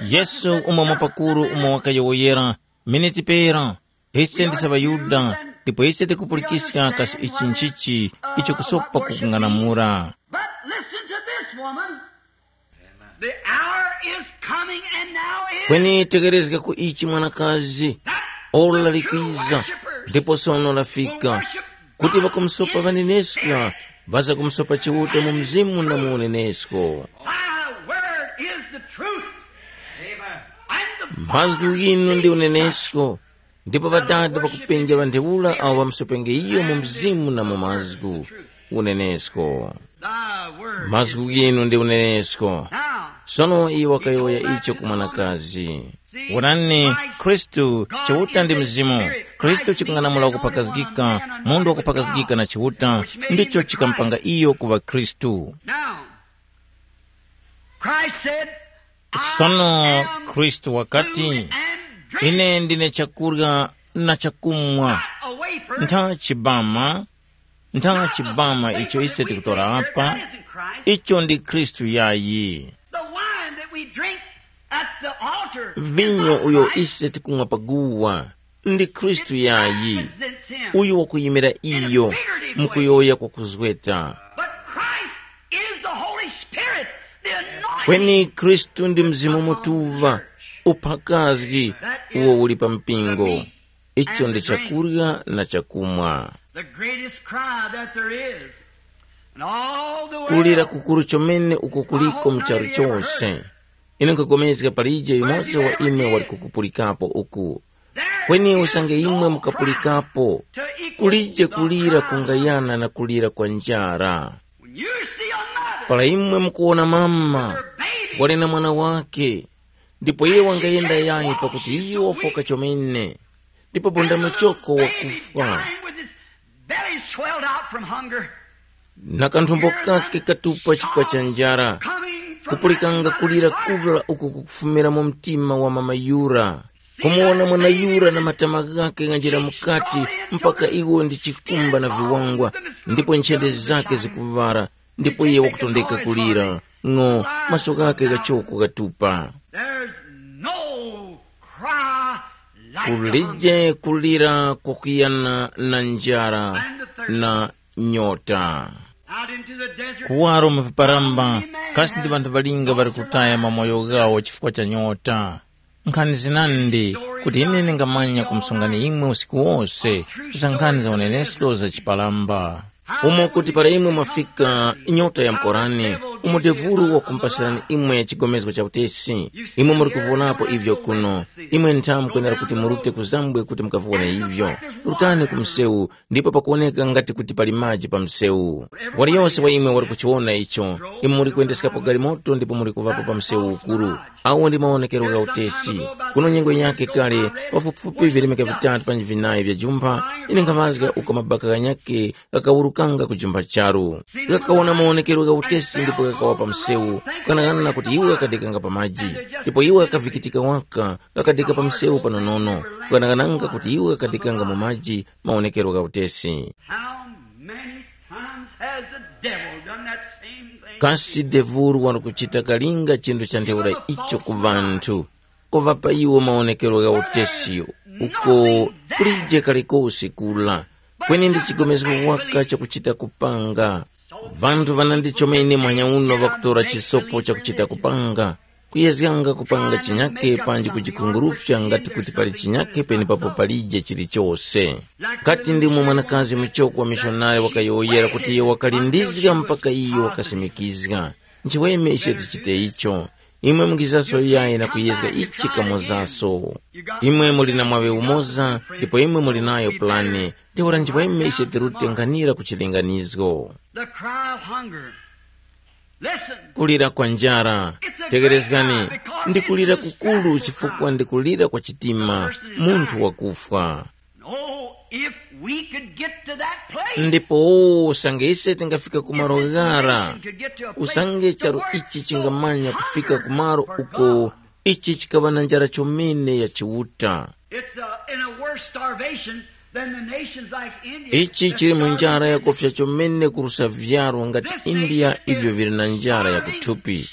Yesu umo mwapakuru umo wakayowoyera, miniti pera, ise ndise ŵaYuda, ndipo ise tikupulikiska kasi ichi nchichi icho kusopa kukung'anamula. But listen to this woman. The hour is coming and now is. Kweni tekerezga ku ichi mwanakazi, ora likwiza, ndipo sono lafika, kuti ŵakumusopa ŵaneneska, ŵaza kumusopa Chiuta mu mzimu na mu unenesko. My word is the truth. And the Mazgu ghinu ndi unenesko, ndipo ŵadada ŵakupenja ŵa ntheura awo ŵamusopenge iyo mu mzimu na mu mazgu. Unenesko. Thy word. Mazgu ghinu ndi unenesko. Now, sono iye wakayowoya icho ku mwanakazi. Wonani, Khristu, Chiuta ndi Mzimu. Khristu chikung'anamula kuphakazgika, munthu wakuphakazgika na Chiuta, ndicho chikamupanga iyo kuŵa Khristu. Now, Christ said, sono Khristu wakati, ine ndine chakurya na chakumwa. Ntha chibama, ntha chibama icho ise tikutora apa, icho ndi Khristu yayi. The wine that we drink at the altar. Vinyo uyo ise tikumwa paguwa ndi Khristu yayi. Uyu wakuyimira iyo, mukuyowoya kwakuzgeta. But Christ is the Holy Spirit, the anointing. Kweni Khristu ndi Mzimu Mutuŵa, uphakazgi uwo uli pa mpingo. Icho ndi chakurya na chakumwa. The greatest cry that there is. And all the world. Kulira kukuru chomene uko kuliko mu charu chose. Ine nkhupulikana palije yumoza wa imwe wali kukupulikapo uku. Kweni usange imwe mukapulikapo, kulije kulira kungayana na kulira kwa njara. Para imwe mukuwona mama wali na mwana wake, ndipo iye wangayenda yayi pakuti iyo wafoka chomene, ndipo bonda muchoko wakufwa, na kanthumbo kake katupa chifukwa cha njara, kupulikanga kulira kura uku kukufumira mu mtima wa mama yura. Kumuwona mwana yura na matama ghake ghanjira mukati mpaka iwo ndi chikumba na viwangwa, ndipo nchende zake zikuŵara, ndipo iye wakutondeka kulira, ng'o, maso ghake ghachoko ghatupa. There's no cry like the hunger. Kulije kulira kwakuyana na njara na nyota. Out into the desert. Kuwaro mu viparamba, kasi ndi ŵanthu ŵalinga ŵali kutaya mamoyo ghawo chifukwa cha nyota. Nkhani zinandi kuti ine ndingamanya kumusungani imwe usiku wose za nkhani za unenesko za chipalamba. Umo kuti para imwe mwafika nyota ya mkorani, Umo devuru wakumupasirani imwe chigomezgo cha utesi. Imwe muri kuvonapo ivyo kuno. Imwe nthamu mukwenera kuti murute kuzambwe kuti mukavone ivyo. Rutani ku msewu, ndipo pakuwoneka ngati kuti pali maji pa msewu. Waliyose wa imwe wali kuchiwona icho. Imwe muri kuyendeskapo galimoto ndipo muri kuvapo pa msewu ukuru. Awo ndi mawonekero gha utesi. Kuno nyengo yake kale, pafupifupi vilemeka vitatu panji vinayi vya jumpha, ine nkhamazga uko mabaka ghanyakhe ghakawurukanga ku jumba charu. Ghakawona mawonekero gha utesi ndipo ghakawa pa msewu, kukanang'ana kuti iwo ghakadekanga pa maji. Ndipo iwo ghakavikitika waka, ghakadeka pa msewu panonono, kukanang'ananga kuti iwo ghakadekanga mu maji mawonekero gha utesi. How many times has the devil done that same thing? Kasi devulu wali kuchita kalinga chinthu cha ntheura icho ku vanthu, kuŵapa iwo mawonekero gha utesi uko kulije kalikosi kula, kweni ndi chigomezgo waka chakuchita kupanga. Vanthu vanandichomene mwanya uno ŵakutora chisopo chakuchita kupanga, kuyezganga kupanga chinyake panji kujikhungurufya ngati kuti pali chinyake penepapo palije chilichose. Ngati ndimo mwanakazi muchoko wa mishonari wakayowoyera kuti iyo wakalindizga mpaka iyo wakasimikizga. Nchiweme ise tichite icho. Imwe mungizaso yayi na kuyezga ichi kamozaso. Imwe muli na mwaŵe umoza, ndipo imwe muli nayo pulani. Ntheura nchiweme ise tirute nkhanira ku chilinganizgo. The cry of hunger. Listen. Kulira kwa njara. Tegerezgani. Ndikulira kukulu chifukwa ndikulira kwa chitima, munthu wakufwa. Oh, if we could get to that place. Ndipo usange ise tingafika ku malo ghara, usange charu ichi chingamanya kufika ku malo uko ichi chikaŵa na njara chomene ya Chiuta. It's uh, in a worse starvation than the nations like India. Ichi chili mu njara yakufya chomene kurusa vyaro ngati India ivyo vili na njara ya kuthupi.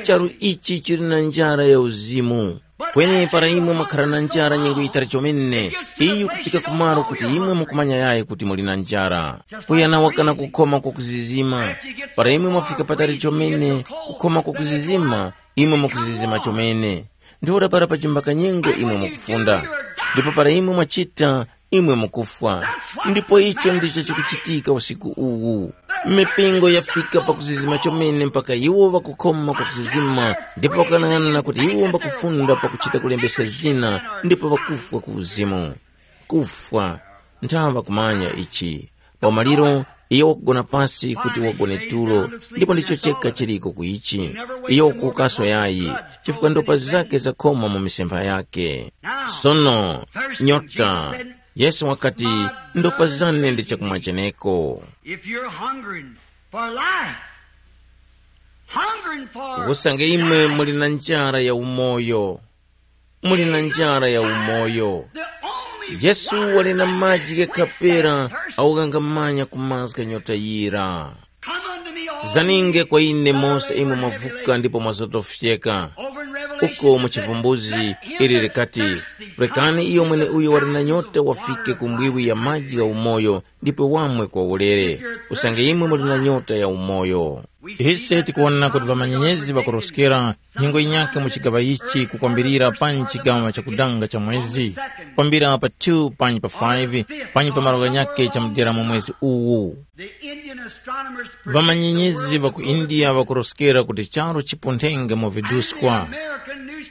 Charu ichi chili na njara ya uzimu. Kweni para imwe mwakhara na njara nyengo yitali chomene, iyo kufika kumaro kuti imwe mukumanya yayi kuti muli na njara. Kuyana wakana kukhoma kwa kuzizima. Para imwe mwafika patali chomene, kukhoma kwa kuzizima, imwe mukuzizima chomene. Ntheura para pachimba kanyengo imwe mukufunda. Ndipo para imwe mwachita, imwe mukufwa. Ndipo icho ndicho chikuchitika usiku uwu. Mipingo yafika pakuzizima chomene mpaka iwo ŵakukhoma kwa kuzizima, ndipo ŵakanang'ana kuti iwo mbakufunda pakuchita kulembeska zina, ndipo ŵakufwa ku uzimu. Kufwa, nthawa kumanya ichi. Paumaliro, iyo wakugona pasi kuti wagone tulo, ndipo ndicho cheka chiliko ku ichi. Iyo wakuwukaso yayi, chifukwa ndopa zake zakhoma mu misempha yake. Sono, nyota, Yesu wakati, ndopa zane ndi chakumwa cheneko. If you're hungering for life, hungering for Usange imwe muli na njara ya umoyo, muli na njara ya umoyo. The only Yesu wali na maji ghakapera, awo ghangamanya kumazga nyota yira. Come unto me, all Zaninge ye kwa ine that are mose imwe labored and heavy mwavuka laden. Ndipo mwazotofyeka. Over in Revelation, Uko mu it says, chivumbuzi, let him ili that likati, thirsteth rekani come iyo to mwene the uyo wali na fountain nyota of wafike water ku mbwiwi ya maji ya umoyo, ndipo wamwe kwa ulere. Usange imwe muli na nyota ya umoyo. Ise tikuwona kuti ŵamanyenyezi ŵakuroskera nyengo yinyakhe mu chigaŵa ichi kukwambirira pa chigaŵa chakudanga cha mwezi, kwambira pa two panyi pa five, panyi pa malo ghanyakhe cha mudera mu mwezi uwu. The Indian astronomers predict the ŵamanyenyezi world ŵa ku will go India ŵakuroskera kuti charu chipunthenge mu viduskwa.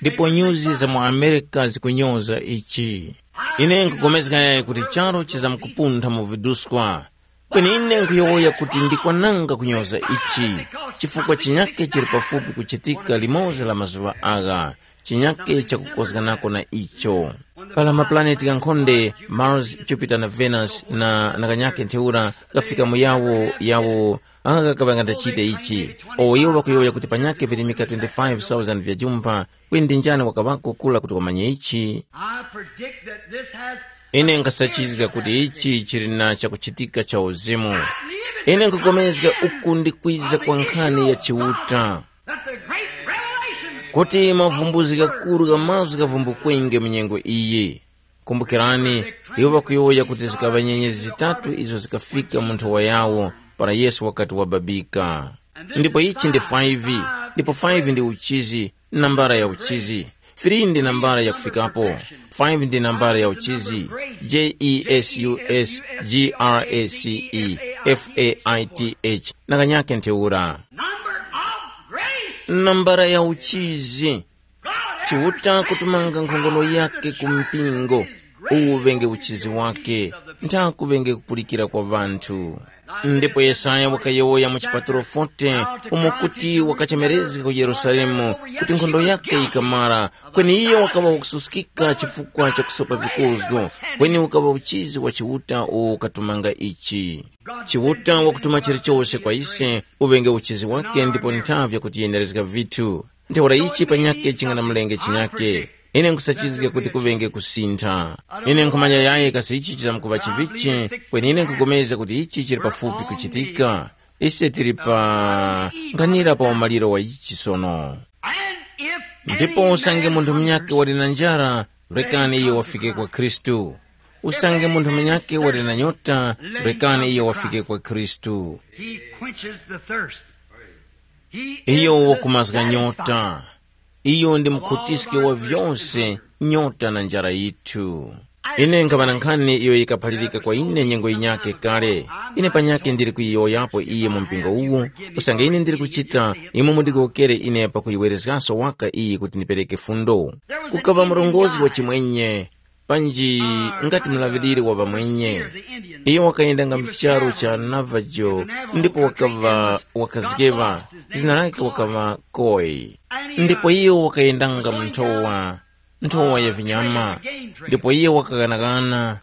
Ndipo nyuzi za mu Amerika zikunyoza ichi. Ine nkupulikana yayi kuti charu chizamkupuntha mu viduskwa. Kweni ine nkhuyowoya kuti ndikwananga kunyoza ichi, chifukwa chinyake chili pafupi kuchitika limodzi la mazuŵa agha, chinyake chakukozganako na icho. Pala mapulaneti ghankhonde, Mars, Jupiter na Venus na, na kanyake ntheura, ghafika mu yawo, yawo, agha ghakaŵa ngandachite ichi. O iwo ŵakuyowoya kuti panyake virimika twenty-five thousand vya jumpha, kweni ndi njani wakaŵako kula kuti wamanye ichi? I predict that this has Ine nkasachizga kuti ichi chili na chakuchitika cha uzimu. Ine nkukomezga uku ndi kwiza kwa nkhani ya Chiuta, that the great revelations kuti mavumbuzi ghakuru gha mazgu ghavumbukwenge mu nyengo iyi. Kumbukirani, iwo ŵakuyowoya kuti zikaŵa nyenyezi zitatu izo zikafika mu nthowa yawo para Yesu wakati wababika. Ndipo ichi ndi five, ndipo five ndi uchizi, nambara ya uchizi. Three ndi nambara ya kufikapo. Five ndi nambara ya uchizi. J E S U S G R A C E F A I T H. Na kanyake ntheura. Number of Nambala ya uchizi. Chiuta kutumanga nkhongono yake ku mpingo, uwu ŵenge uchizi wake, ntha kuŵenge kupulikira kwa ŵanthu. Ndipo Yesaya wakayowoya mu chipatulo forty, umo kuti wakachemerezga ku Yerusalemu, kuti nkhondo yake yikamara, kweni iyo wakaŵa wakususkika chifukwa cha kusopa vikozgo, kweni ukaŵa uchizi wa Chiuta uwo ukatumanga ichi. Chiuta wakutuma chilichose kwa ise, uŵenge uchizi wake ndipo nthavi yakutiyenerezga vithu. Ntheura ichi panyakhe chinganamulenge chinyakhe. Ine nkhusachizga kuti kuŵenge kusintha. Ine nkhumanya yaye kasi ichi chizamkuŵa chivichi, kweni ine nkhupulikana kuti ichi chili pafupi kuchitika. Ise tili pa nkhanira pa umaliro wa ichi sono. Ndipo usange munthu munyakhe wali na njara, rekani iyo wafike kwa Khristu. Usange munthu munyakhe wali na nyota, rekani iyo wafike kwa Khristu. He quenches the thirst. He is Iyo the wakumazga satisfier. Nyota. Iyo ndi mukhutiski wa vyose, nyota na njara yithu. Ine nkhaŵa na nkhani iyo yikaphalirika kwa ine nyengo yinyakhe kale. Ine panyakhe ndili kuyiyowoyapo iyi mu mpingo uwu, usange ine ndili kuchita, imwe mundigowokere ine pakuyiwerezgaso waka iyi kuti ndipereke fundo. Kukaŵa murongozgi wa chimwenye, panji ngati mulaŵiriri wa ŵamwenye. Iyo wakayendanga mu charu cha Navajo, ndipo wakaŵa wakazgeŵa, zina lake wakaŵa Koi. Ndipo iyo wakayendanga mu nthowa, nthowa ya vinyama, ndipo iyo wakaghanagana.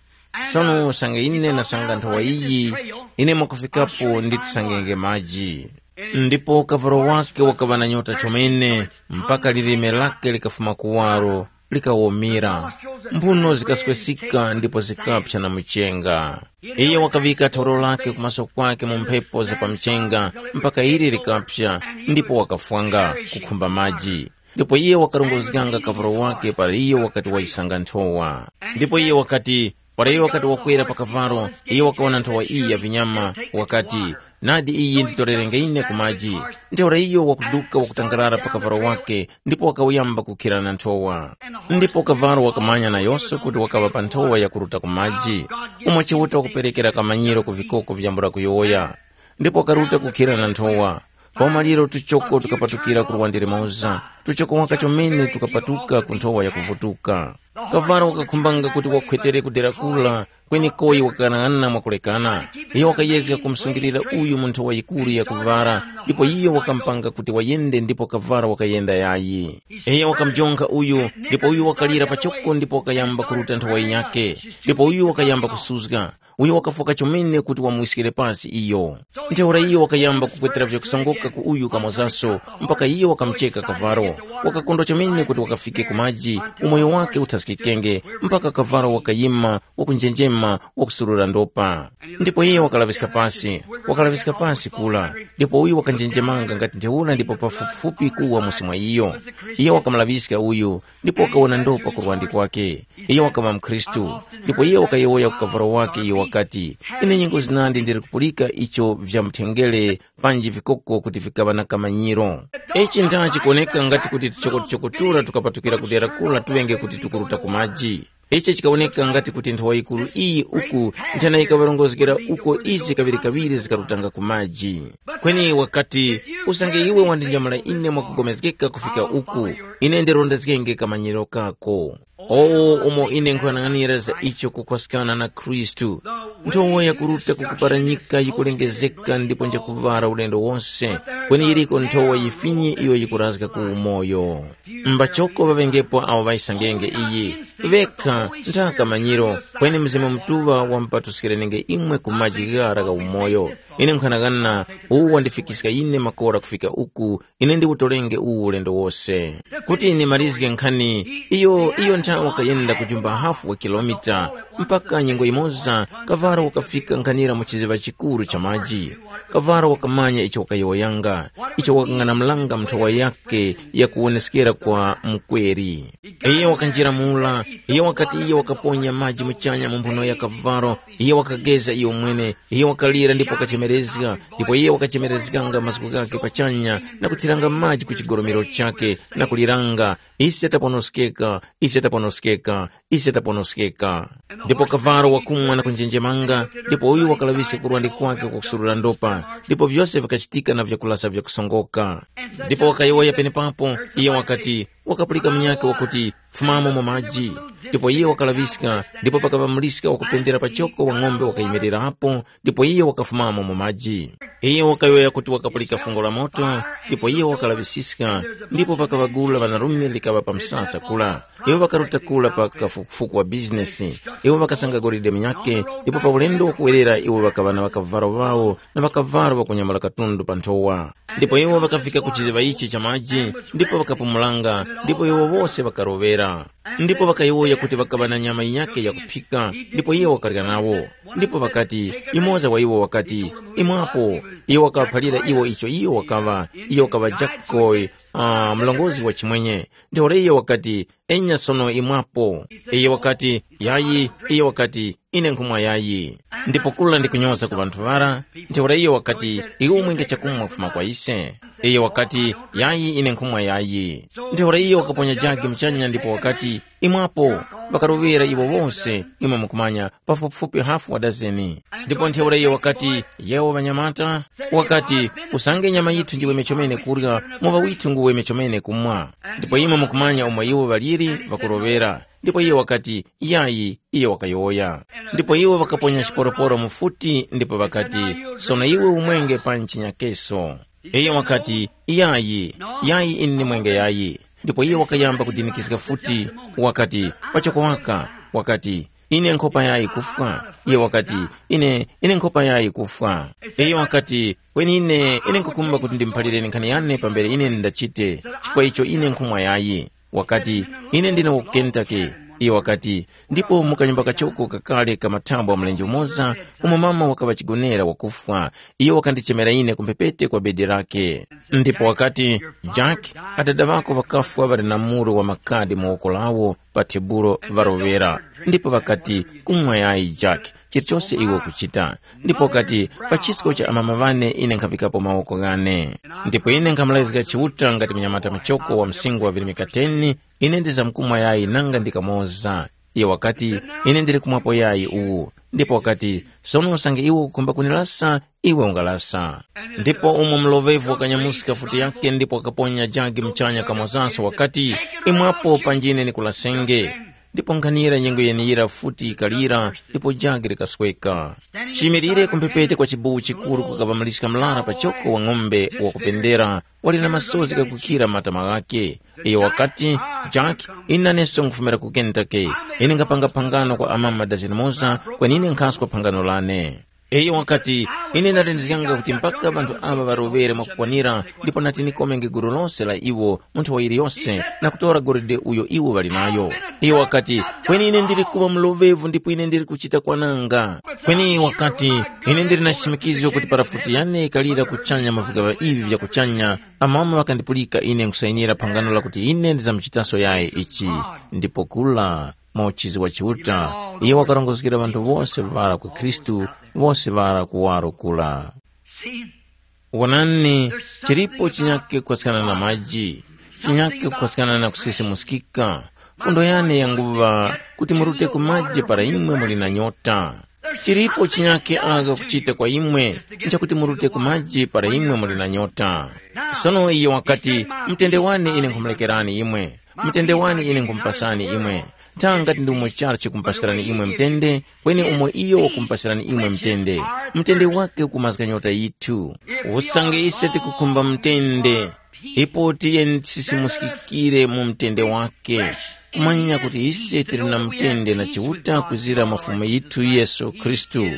Sono usange ine ndasanga nthowa iyi, ine mwakufikapo nditisangenge maji. Ndipo kavalo wake wakaŵa na nyota chomene, mpaka lilime lake likafuma kuwaro, likawomira. Mphuno zikaswesika ndipo zikaphya na muchenga. Iye wakaŵika thawulo lake kumaso kwake mu mphepo za pa mchenga, mpaka ili likaphya, ndipo wakafwanga, kukhumba maji. Ndipo iye wakarongozganga kavalo wake para iye wakati wayisanga nthowa. Ndipo iye wakati, para iye wakati wakwera pa kavalo, iye wakawona nthowa iyi ya vinyama, wakati, nadi iyi nditorerenge ine ku maji. Ntheura iyo wakuduka wakutangarara pa kavalo wake, ndipo wakawuyamba kukhira na nthowa. Ndipo kavalo wakamanya nayose kuti wakaŵa pa nthowa yakuruta ku maji, umo Chiuta wakuperekera kamanyiro ku vikoko vyambula kuyowoya. Ndipo wakaruta kukhira na nthowa. Pamanyiro tuchoko tukapatukira ku luwande limoza, tuchoko waka chomene tukapatuka ku nthowa yakuvutuka. Kavalo wakakhumbanga kuti wakhwetere ku dera kula, kweni Koi wakang'anang'ana mwakulekana. Iyo wakayezga kumusungilira uyu mu nthowa yikuru ya kuvara, ndipo iyo wakamupanga kuti wayende ndipo kavalo wakayenda yayi. Iyo wakamujonkha uyu, ndipo uyu wakalira pachoko ndipo wakayamba kuruta nthowa yinyakhe, ndipo uyu wakayamba kusuzga. Uyo wakafwoka chomene kuti wamwiskire pasi iyo. Ntheura iyo wakayamba kupwetera vyakusongoka ku uyu kamozaso, mpaka iyo wakamucheka kavalo. Wakakondwa chomene kuti wakafike ku maji, umoyo wake uthaskikenge, mpaka kavalo wakayima, wakunjenjema, wakusurura ndopa. Ndipo iyo wakalaŵiska pasi, wakalaŵiska pasi kula, ndipo uyu wakanjenjemanga ngati ntheura ndipo pafupifupi kuwa musi mwa iyo. Iyo wakamulaŵiska uyu, ndipo wakawona ndopa ku lwandi kwake. Iyo wakaŵa mukhristu, ndipo iyo wakayowoya ku kavalo wake iyo wakati, ine nyengo zinandi ndili kupulika icho vya mthengere panji vikoko kuti vikaŵa na kamanyiro. Ichi ndha chikuwoneka ngati kuti tuchokotuchoko tura tukapatukira ku dera kula tuŵenge kuti tukuruta ku maji. Ichi chikawoneka ngati kuti nthowa yikuru iyi uku nthena yikaŵarongozgera uko izi kaŵirikaŵiri zikarutanga ku maji. Kweni wakati, usange iwe wandinyamula ine mwakupulikana kufika uku, ine ndirondezgenge kamanyiro kako. Owo umo ine nkuyang'anira za icho kukhwaskana na Khristu. Nthowa yakuruta ku kuparanyika yikulengezeka ndipo njakuŵala ulendo wose, kweni yiriko nthowa yifinyi iyo yikurazga ku umoyo. Mbachoko ŵaŵengepo awo ŵayisangenge iyi, ŵekha ntha kamanyiro, kweni Mzimu Mutuŵa wamupatuskirenenge imwe ku maji ghara gha umoyo. Ine nkhanagana, uwu wandifikiska ine makora kufika uku, ine ndiwutolenge uwu ulendo wose. Kuti ndimalizge nkhani, iyo iyo nthawe wakayenda kujumba hafu wa kilomita, mpaka nyengo yimoza kavara wakafika nkhanira mu chiziŵa chikuru cha maji. Kavara wakamanya icho wakayowoyanga, icho wakang'anamulanga mu nthowa yakhe ya kuwoneskera kwa mukweri. Iyo wakanjira mura, Iyo wakati iyo wakaponya maji muchanya mu mphuno ya kavalo, iyo wakageza iyo mwene, iyo wakalira ndipo wakachemerezga, ndipo iyo wakachemerezganga mazgu ghakhe pachanya na kuthiranga maji ku chigolomero chakhe, na kuliranga, ise taponoskeka, ise taponoskeka, ise taponoskeka. Ndipo kavalo wakumwa na kunjenjemanga, ndipo uyu wakalaŵiska kurwande kwake kwakusurura ndopa, ndipo vyose vikachitika na vyakulasa vyakusongoka. Ndipo wakayowoya penepapo, iye wakati, wakapulika munyakhe wakuti, fumamo mu maji. Ndipo iye wakalaŵiska, ndipo pakaŵa muliska wakupendera pachoko wa ng'ombe wakayimirirapo, ndipo iye wakafumamo mu maji. Iye wakayowoya kuti wakapulika fungo la moto, ndipo iye wakalaŵisiska, ndipo pakaŵagula ŵanarume likaŵa pa msasa kula. Iwo ŵakaruta kula pa kafukufuku wa bizinesi. Iwo ŵakasanga golide munyakhe, ndipo pa ulendo wakuwerera iwo ŵakaŵa na ŵakavalo ŵawo na ŵakavalo ŵakunyamula katundu pa nthowa. Ndipo iwo ŵakafika ku chiziŵa ichi cha maji, ndipo ŵakapumulanga, ndipo iwo wose ŵakaroŵera. Ndipo ŵakayowoya kuti ŵakaŵa na nyama yinyakhe yakuphika, ndipo iye wakarya nawo. Ndipo ŵakati, yumoza wa iwo wakati, imwapo. Iye wakawaphalira iwo icho iyo wakaŵa, iyo wakaŵa Jakoyi, uh, mlongozi wa chimwenye. Ntheura iye wakati, enya sono imwapo. Iye wakati, yayi. Iye wakati, ine nkhumwa yayi. Ndipo kula ndikunyoza ku ŵanthu ŵara. Ntheura iye wakati, iwe umwenge chakumwa kufuma kwa ise. Iye wakati, yayi, ine nkhumwa yayi. Ntheura iye wakaponya jagi muchanya ndipo wakati, imwapo. Ŵakaroŵera iwo wose, imwe mukumanya, pafupifupi hafu wa dazeni. Ndipo ntheura iye wakati, yewo ŵanyamata, wakati, usange nyama yithu ndiwe mechomene kurya, muŵa withu nguwe mechomene kumwa. Ndipo imwe mukumanya umo iwo ŵaliri ŵakuroŵera. Ndipo iye wakati, yayi. Iye wakayowoya. Ndipo iwo ŵakaponya chiporoporo mu futi ndipo ŵakati, sono iwe umwenge pa nchinyakeso. Iye wakati, yayi. Yayi, ine ndimwenge yayi. Ndipo iye wakayamba kudinikizga futi, wakati, pachoko waka, wakati, ine nkhopa yayi kufwa. Iye wakati, ine ine nkhopa yayi kufwa. Iye wakati, kweni ine ine nkukumba kuti ndimuphalireni nkhani yane pambere ine ndachite, chifukwa icho ine nkhumwa yayi. Wakati, ine ndine wa ku Kentucky. Iye wakati, ndipo mu kanyumba kachoko kakale ka mathambwa mlenje umoza, umo mama wakaŵa chigonera wakufwa, iyo wakandichemera ine ku mphepete kwa bedi lake. Ndipo wakati, Jack, adada ŵako ŵakafwa ŵali na muro wa makadi mu woko lawo pa tebulo ŵaroŵera. Ndipo ŵakati, kumwa yayi Jack, chilichose iwe ukuchita. Ndipo wakati, pa chisko cha amama ŵane ine nkhavikapo mawoko ghane. Ndipo ine nkhamulezga Chiuta ngati mnyamata muchoko wa msingo wa virimika teni, ine ndizamkumwa yayi nanga ndi kamoza. Iyo wakati, ine ndili kumwapo yayi uwu. Ndipo wakati, sono usange iwe ukukhumba kunilasa, iwe ungalasa. Ndipo umo mlovevu wakanyamuska futi yake ndipo wakaponya jagi muchanya kamozanso wakati, imwapo panjine nikulasenge. Ndipo nkhanira nyengo yeneyira futi yikalira, ndipo jagi likasweka. Chiyimirire ku mphepete kwa chibuwu chikuru kukaŵa maliska mlara pachoko wa ng'ombe wakupendera, wali na masozi ghakukhira matama ghakhe. Iyo wakati, Jack, ine naneso nkhufumira ku Kentucky. Ine nkhapanga phangano kwa amama dazeni moza, kweni ine nkhaskwa phangano lane. Iyo wakati, ine ndalindizganga kuti mpaka ŵanthu aŵa ŵaroŵere mwakukwanira, ndipo nati nikomenge gulu lose la iwo mu nthowa yiliyose na kutora golide uyo iwo ŵali nayo. Iyo wakati, kweni ine ndili kuŵa mlovevu ndipo ine ndili kuchita kwananga. Kweni wakati, ine ndili na chichimikizo kuti para futi yane yikalira kuchanya mu vigaŵa ivi vya kuchanya, amama ŵakandipulika ine nkusayinira phangano lakuti ine ndizamchitaso yayi ichi. Ndipo kula mauchizi wa Chiuta, iyo wakarongozgera ŵanthu wose ŵara ku Khristu, wose ŵara kuwaro kula. Wonani, chilipo chinyake kupaskana na maji, chinyake kupaskana na kusisimuskika. Fundo yane yanguŵa kuti murute ku maji para imwe muli na nyota. Chilipo chinyake agha kuchita kwa imwe, nchakuti murute ku maji para imwe muli na nyota. Sono iyo wakati, mtende wane ine nkhumulekerani imwe, mtende wane ine nkhumupasani imwe. Nthanga ngati ndi umo charu chikumupasirani imwe mtende, kweni umo iyo wakumupasirani imwe mtende, mtende wake ukumazga nyota yithu. Usange ise tikukhumba mtende, ipo tiye tisisimuskikire mu mtende wake, kumanya kuti ise tili na mtende na Chiuta kuzira mwa Fumu yithu Yesu Khristu.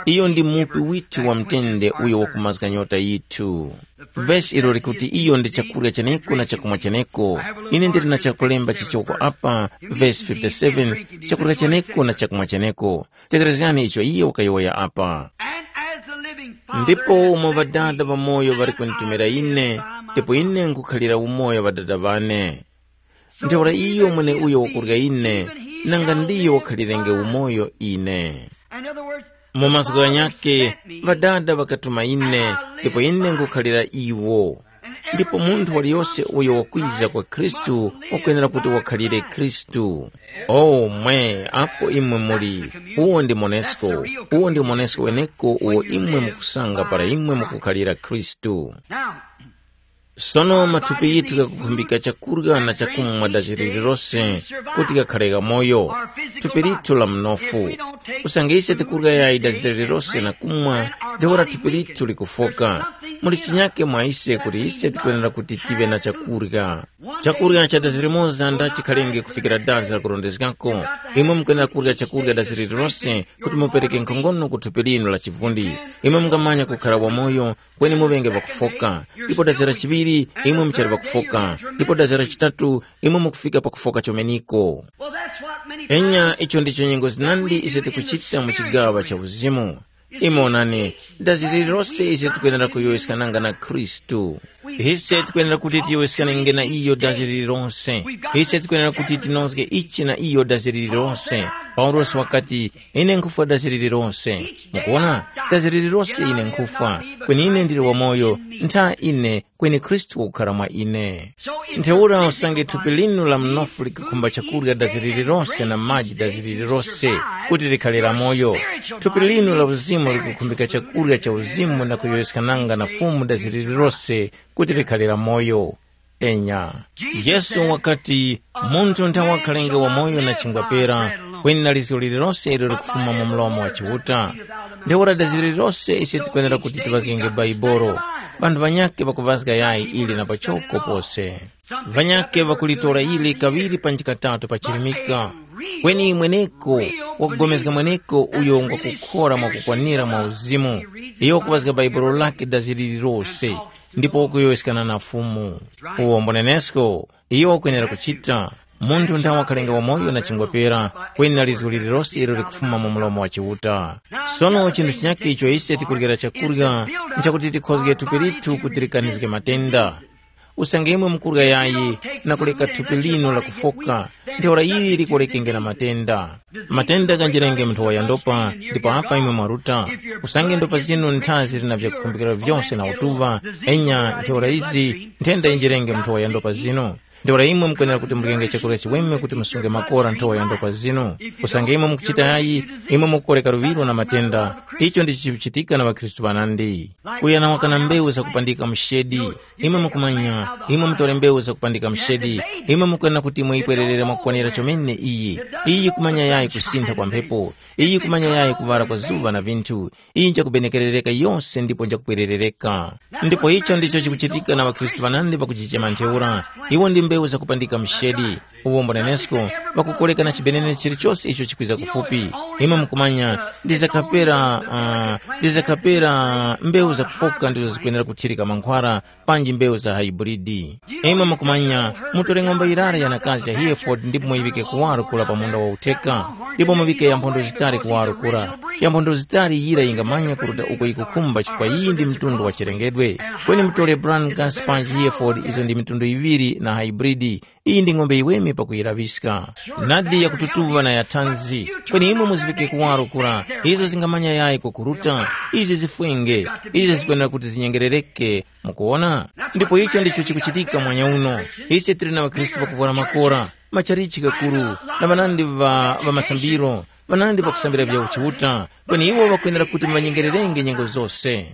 Iyo ndi mupi withu wa mtende uyo wakumazga nyota yithu. Vesi ilo likuti iyo ndi chakurya cheneko na chakumwa cheneko. Ine ndili na chakulemba chichoko apa, vesi fifty-seven, chakurya cheneko na chakumwa cheneko. Tekerezgani icho iye wakayowoya apa. And as the living Father Ndipo umo Ŵadada ŵamoyo ŵali kunditumira ine, ndipo ine nkukhalira umoyo Ŵadada ŵane. Ntheura iyo mweneuyo wakurya ine, nanga ndiyo wakhalirenge umoyo ine. Mu mazgu ghanyakhe, Ŵadada ŵakatuma ine, ndipo ine nkukhalira iwo. Ndipo munthu waliyose uyo wakwiza kwa Khristu wakwenera kuti wakhalire Khristu. O mwe, apo imwe muli, uwo ndi monesko, uwo ndi monesko weneko uwo imwe mukusanga para imwe mukukhalira Khristu. Sono mathupi yithu ghakukhumbika chakurya na chakumwa dachi lililose kuti ghakhare ghamoyo, thupi lithu la mnofu. Usange ise tikurya yayi dachi lililose na kumwa, ntheura thupi lithu likufoka. Muli chinyake mwa ise kuti ise tikwenera kuti tive na chakurya. Chakurya cha dazi limoza ndachikhalenge kufikira dazi lakurondezgako. Imwe mukwenera kurya chakurya dazi lililose kuti mupereke nkhongono ku thupi linu la chivundi. Imwe mungamanya kukhara wamoyo, kweni muŵenge pakufoka. Ndipo dazi la chiŵiri, imwe muchali pakufoka. Ndipo dazi la chitatu, imwe mukufika pakufoka chomeniko. Enya, icho ndicho nyengo zinandi ise tikuchita mu chigawa cha uzimu. Imwe onani, dazi lililose ise tikwenera kuyowoyeskananga na Khristu. Ise tikwenera kuti tiyowoyeskanenge na iyo dazi lililose. Ise tikwenera kuti tinozge ichi na iyo dazi lililose. Paulosi wakati, ine nkhufwa dazi lililose. Mukuona, dazi lililose ine nkhufwa, kweni ine ndili wamoyo, ntha ine, kweni Khristu wakukhara mwa ine. Ntheura usange thupi linu la mnofu likakhumba chakurya dazi lililose na maji dazi lililose, kuti likhale la moyo. Thupi linu la uzimu likukhumbika chakurya cha uzimu na kuyowoyeskananga na Fumu dazi lililose kuti likhale la moyo. Enya. Yesu wakati, munthu nthawakhalenge wamoyo na chingwa pera, kweni na lizgo lililose ilo likufuma mu mlomo wa Chiuta. Ntheura dazi lililose ise tikwenera kuti tiŵazgenge Baibolo. Ŵanthu ŵanyakhe ŵakuŵazga yayi ili na pachoko pose. Ŵanyakhe ŵakulitora ili kaŵiri panji katatu pachirimika. Kweni mweneko, wakugomezga mweneko uyo ngwakukhora mwakukwanira mwa uzimu, iyo wakuŵazga Baibolo lake dazi lililose, ndipo wakuyowoyeskana na Fumu. Uwo mbonenesko, iyo wakwenera kuchita. Munthu nthawe wakhalenga wamoyo na chingwa pera, kweni na lizgu lililose ilo likufuma mu mlomo wa Chiuta. Sono chinthu chinyakhe icho ise tikuryera chakurya, nchakuti tikhozge thupi lithu kuti likanizge matenda. Usange imwe mukurya yayi na kuleka thupi linu lakufoka, ntheura ili likolekenge na matenda. Matenda ganjirenge mu nthowa ya ndopa, ndipo apa imwe mwaruta. Usange ndopa zinu ntha zili na vyakukhumbikira vyose na utuŵa, enya ntheura izi nthenda yinjirenge mu nthowa ya ndopa zinu. Ntheura imwe mukwenera kuti murenge chakurya chiweme kuti musunge makora nthowa ya ndopa zinu. Usange imwe mukuchita yayi, imwe mukukoreka luŵiro na matenda. Icho ndicho chikuchitika na ŵakhristu ŵanandi. Kuya na wakana mbewu zakupandika mshedi. Imwe mukumanya, imwe mutore mbewu zakupandika mshedi, imwe mukwena kuti muyipwererere mwakukwanira chomene iyi. Iyi yikumanya yayi kusintha kwa mphepo, iyi yikumanya yayi kuŵala kwa zuŵa na vinthu, iyi njakubenekerereka yose ndipo njakupwererereka. Ndipo icho ndicho chikuchitika na ŵakhristu ŵanandi ŵakujichema ntheura. Iwo ndi mbewu zakupandika mshedi. Uwombo nenesko, ŵakukoleka na chibenene chilichose icho chikwiza kufupi. Imwe mukumanya, ndizakapera, uh, ndizakapera mbewu zakufoka ndizo zikwenera kuthirika mankhwara, panji mbewu za haiburidi. Imwe mukumanya, mutore ng'ombe yirara yanakazi ya Hereford ndipo muyiŵike kuwaro kura pa munda wa utheka, ndipo muŵike yamphondo zitali kuwaro kura. Yamphondo zitali yira yingamanya kuruta uko yikukhumba chifukwa iyi ndi mtundu wa chilengedwe. Kweni mutore Brangus panji Hereford izo ndi mitundu yiŵiri na haiburidi. Iyi ndi ng'ombe yiweme pakuyiraŵiska. Nadi yakututuŵa na ya thanzi, kweni imwe muziŵike kuwaro kura, izo zingamanya yayi kwakuruta, izi zifwenge, izi zikwenera kuti zinyengerereke. Mukuwona? Ndipo icho ndicho chikuchitika mwanya uno. Ise tili na ŵakhristu pakuvwara makora, machalichi kakuru, na ŵanandi ŵa, ŵa masambiro, ŵanandi pakusambira vya uchiuta, kweni iwo ŵakwenera kuti muŵanyengererenge nyengo zose.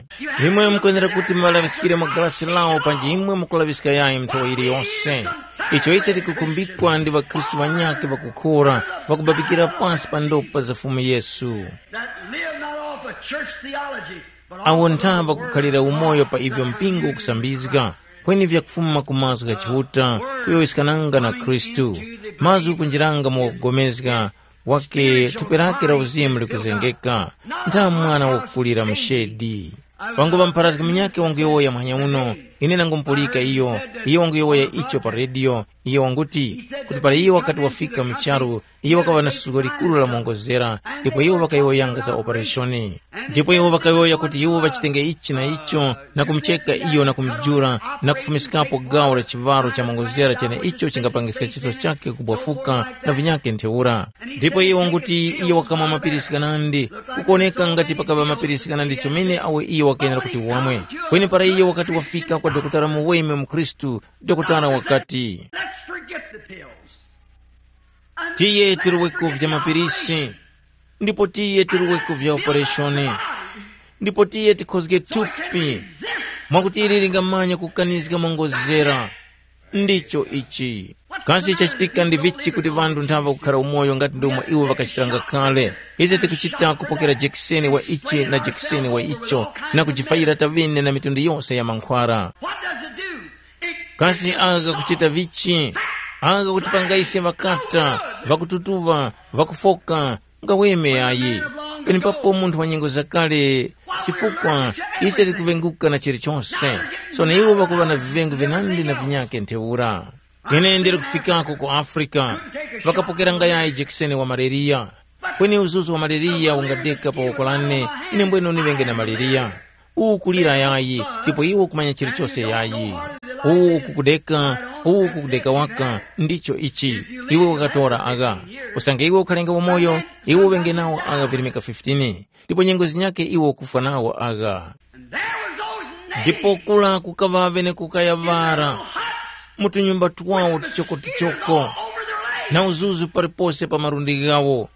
Imwe mukwenera kuti muŵalaŵiskire mu galasi lawo panji imwe mukulaŵiska yayi nthowa yiliyose. Icho ise tikukumbikwa ndi ŵakhristu ŵanyakhe ŵakukhora, ŵakubabikira pansi pa ndopa za Fumu Yesu. That live not off of church theology, but off awo of the ntha word pakukhalira of umoyo God pa ivyo that mpingo ukusambizga, kweni vyakufuma ku mazgu gha Chiuta, kuyowoyeskananga na Khristu, mazgu kunjiranga mu wakugomezga, wake thupi lake la uzimu likuzengeka, ntha mwana wakukulira mshedi. Pangupa mpharazgi munyakhe wanguyowoya muhanya uno, Ine nangumupulika iyo, iyo wanguyowoya icho pa rediyo. Iyo wanguti, kuti para iyo wakati wafika mu charu, iyo wakaŵa na suzgo likuru la mongozera, ndipo iwo ŵakayowoyanga za opereshoni. Ndipo iwo ŵakayowoya kuti iwo ŵachitenge ichi na icho, na kumucheka iyo na kumujula, na kufumiskapo gawo la chiŵaro cha mongozera cheneicho chingapangiska chiso chake kubwafuka na vinyakhe ntheura. Ndipo iyo wanguti iyo wakamwa mapirisi ghanandi, kukuwoneka ngati pakaŵa mapirisi ghanandi chomene awo iyo wakayenera kuti wamwe. Kweni para iyo wakati wafika kwa dokotala muweme mukhristu, dokotala wakati, Let's forget the pills. Tiye tiruweko vya mapirisi, ndipo tiye tiruweko vya opereshoni, ndipo tiye tikhozge thupi, mwakuti ili lingamanya kukanizga mongozera. Ndicho ichi. Kasi chachitika ndi vichi kuti ŵanthu nthava kukhara umoyo ngati ndomwe iwo ŵakachitanga kale? Ise tikuchita kupokera jekiseni wa ichi na jekiseni wa icho, na kujifayira tavine na mitundu yose ya mankhwara. What does it do? It Kasi aka kakuchita vichi? Aka kakutipanga ise ŵakata, ŵakututuŵa, ŵakufoka, ngaweme yayi. Penepapo munthu wa nyengo zakale, chifukwa ise tikuŵenguka na chilichonse. Sono iwo ŵakuŵa na viŵengu vinandi na vinyakhe ntheura. Ine ndili kufikako ku Afrika, ŵakapokeranga yayi jekiseni wa maleriya. Kweni uzuzu wa maleriya ungadeka pa woko lane, ine mbwene uniŵenge na maleriya. Uwu kulira yayi, ndipo iwe ukumanya chilichose yayi. Uwu ukukudeka, uwu ukukudeka waka, ndicho ichi. Iwe wakatora agha. Usange iwe ukhalenga umoyo, iwe uŵenge nawo agha virimika fifteen, ndipo nyengo zinyakhe iwe ukufwa nawo agha. And there was those names Ndipo kula kukaŵa ŵene kukaya ŵara, mu tunyumba twawo tuchokotuchoko, na uzuzu palipose pa malundi ghawo.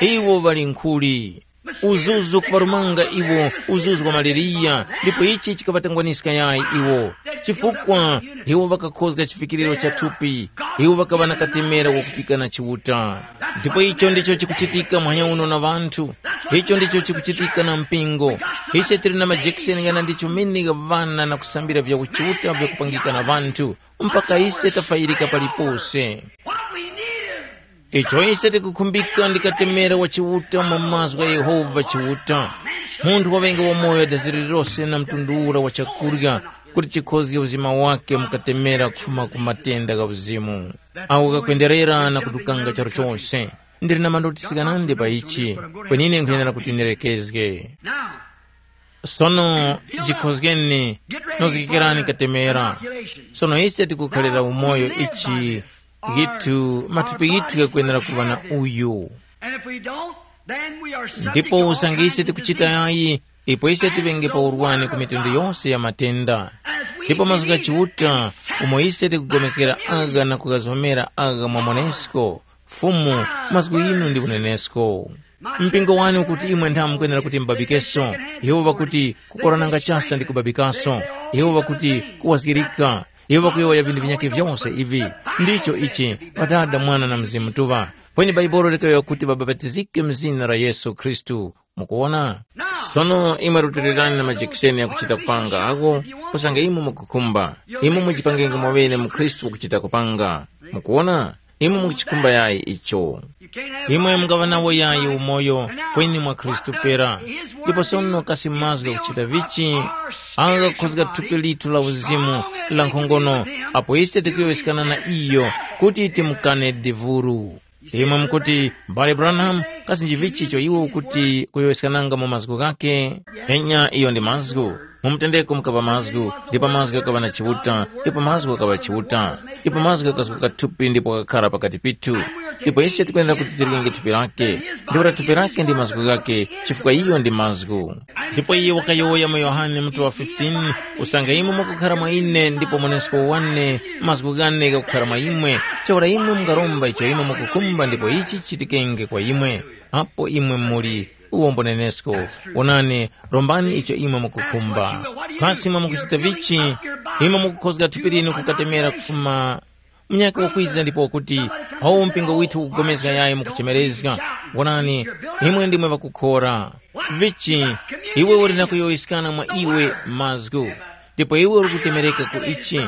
Iwo ŵali nkhuli. Uzuzu kuŵarumanga iwo, uzuzu wa maleriya, ndipo ichi chikaŵatangwaniska yayi iwo. Chifukwa iwo ŵakakhozga chivikiriro cha thupi, iwo ŵakaŵa na katemera wakupika na Chiuta. Ndipo icho ndicho chikuchitika muhanya uno na ŵanthu. Icho ndicho chikuchitika na mpingo. Ise tili na majekiseni ghanandi chomene gha ŵana na kusambira vya uchiuta vyakupangika na ŵanthu, mpaka ise tafayirika palipose. What we need is Icho ise tikukhumbika ndi katemera wa Chiuta mu mazgu gha Yehova Chiuta. Munthu waŵenge wamoyo dazi lililose na mtundu ura wa chakurya, kuti chikhozge uzima wake mu katemera kufuma ku matenda gha uzimu. Awo kakwenderera na kutukanga charu chose. Ndili na mandotisi ghanandi pa ichi, kweni ine nkhuyenera kuti ndilekezge. Now, Sono jikhozgeni, nozgekerani katemera. Sono ise tikukhalira umoyo ichi ghithu, mathupi ghithu ghakwenera kuŵa na uyu. And if we don't, then we are subject Ndipo to all usange kinds ise of tikuchita diseases. Yayi, ipo ise tiŵenge pa urwani ku mitundu yose ya matenda. Ndipo mazgu gha Chiuta, umo ise tikugomezgera agha na kughazomera agha mwa monesko, Fumu, mazgu inu ndi unenesko. Mpingo wani ukuti imwe nthamu mukwenera kuti mubabikeso? Iwo ŵakuti, kukorananga chasa ndi kubabikaso. Iwo ŵakuti, kuwazgirika. Iwo ŵakuyowoya vinthu vinyakhe vyose ivi. Ndicho ichi, Ŵadada, Mwana na Mzimu Mutuŵa. Kweni Bhaibuli likayowoya kuti ŵabapatizike mu zina la Yesu Khristu. Mukuwona? Sono imwe rutilirani na majekiseni ghakuchita kupanga agho, usange imwe mukukhumba. Imwe mujipangenge mwaŵene mu Khristu wakuchita kupanga. Mukuwona? Imwe mukuchikhumba yayi icho. Imwe mungaŵa nawo yayi umoyo kweni mwa Khristu pera. Ndipo sono kasi mazgu ghakuchita vichi, agho ghakukhozga thupi lithu la uzimu la nkhongono, apo ise tikuyowoyeskana na iyo kuti timukane divuru. Imwe mukuti, M'bale Branham, kasi njivichi icho iwe ukuti kuyowoyeskananga mu mazgu ghakhe? Enya, iyo ndi mazgu. Mu mutendeko mukaŵa mazgu, ndipo mazgu ghakaŵa na Chiuta, ndipo mazgu ghakaŵa Chiuta, ndipo mazgu ghakazguka thupi ndipo ghakakhara pakati pithu. Ndipo ise tikwenera kuti tirikenge thupi lake, ntheura thupi lake ndi mazgu ghake, chifukwa iyo ndi mazgu. Ndipo iye wakayowoya mu Yohane mutu wa fifteen, usange imwe mukukhara mwa ine ndipo mwenesko wane, mazgu ghane ghakukhara mwa imwe, ntheura imwe mungaromba icho imwe mukukhumba ndipo ichi chichitikenge kwa imwe. Apo imwe muli, uwombo nenesko. Wonani, rombani icho imwe mukukhumba. Kasi imwe mukuchita vichi? Imwe mukukhozga thupi linu kukatemera kufuma munyaka wakwiza ndipo wakuti, awo mpingo withu ukupulikana yayi mukuchemerezga. Wonani, imwe ndimwe ŵakukhora. Vichi, iwe uli na kuyowoyeskana mwa iwe mazgu, ndipo iwe uli kutemereka ku ichi.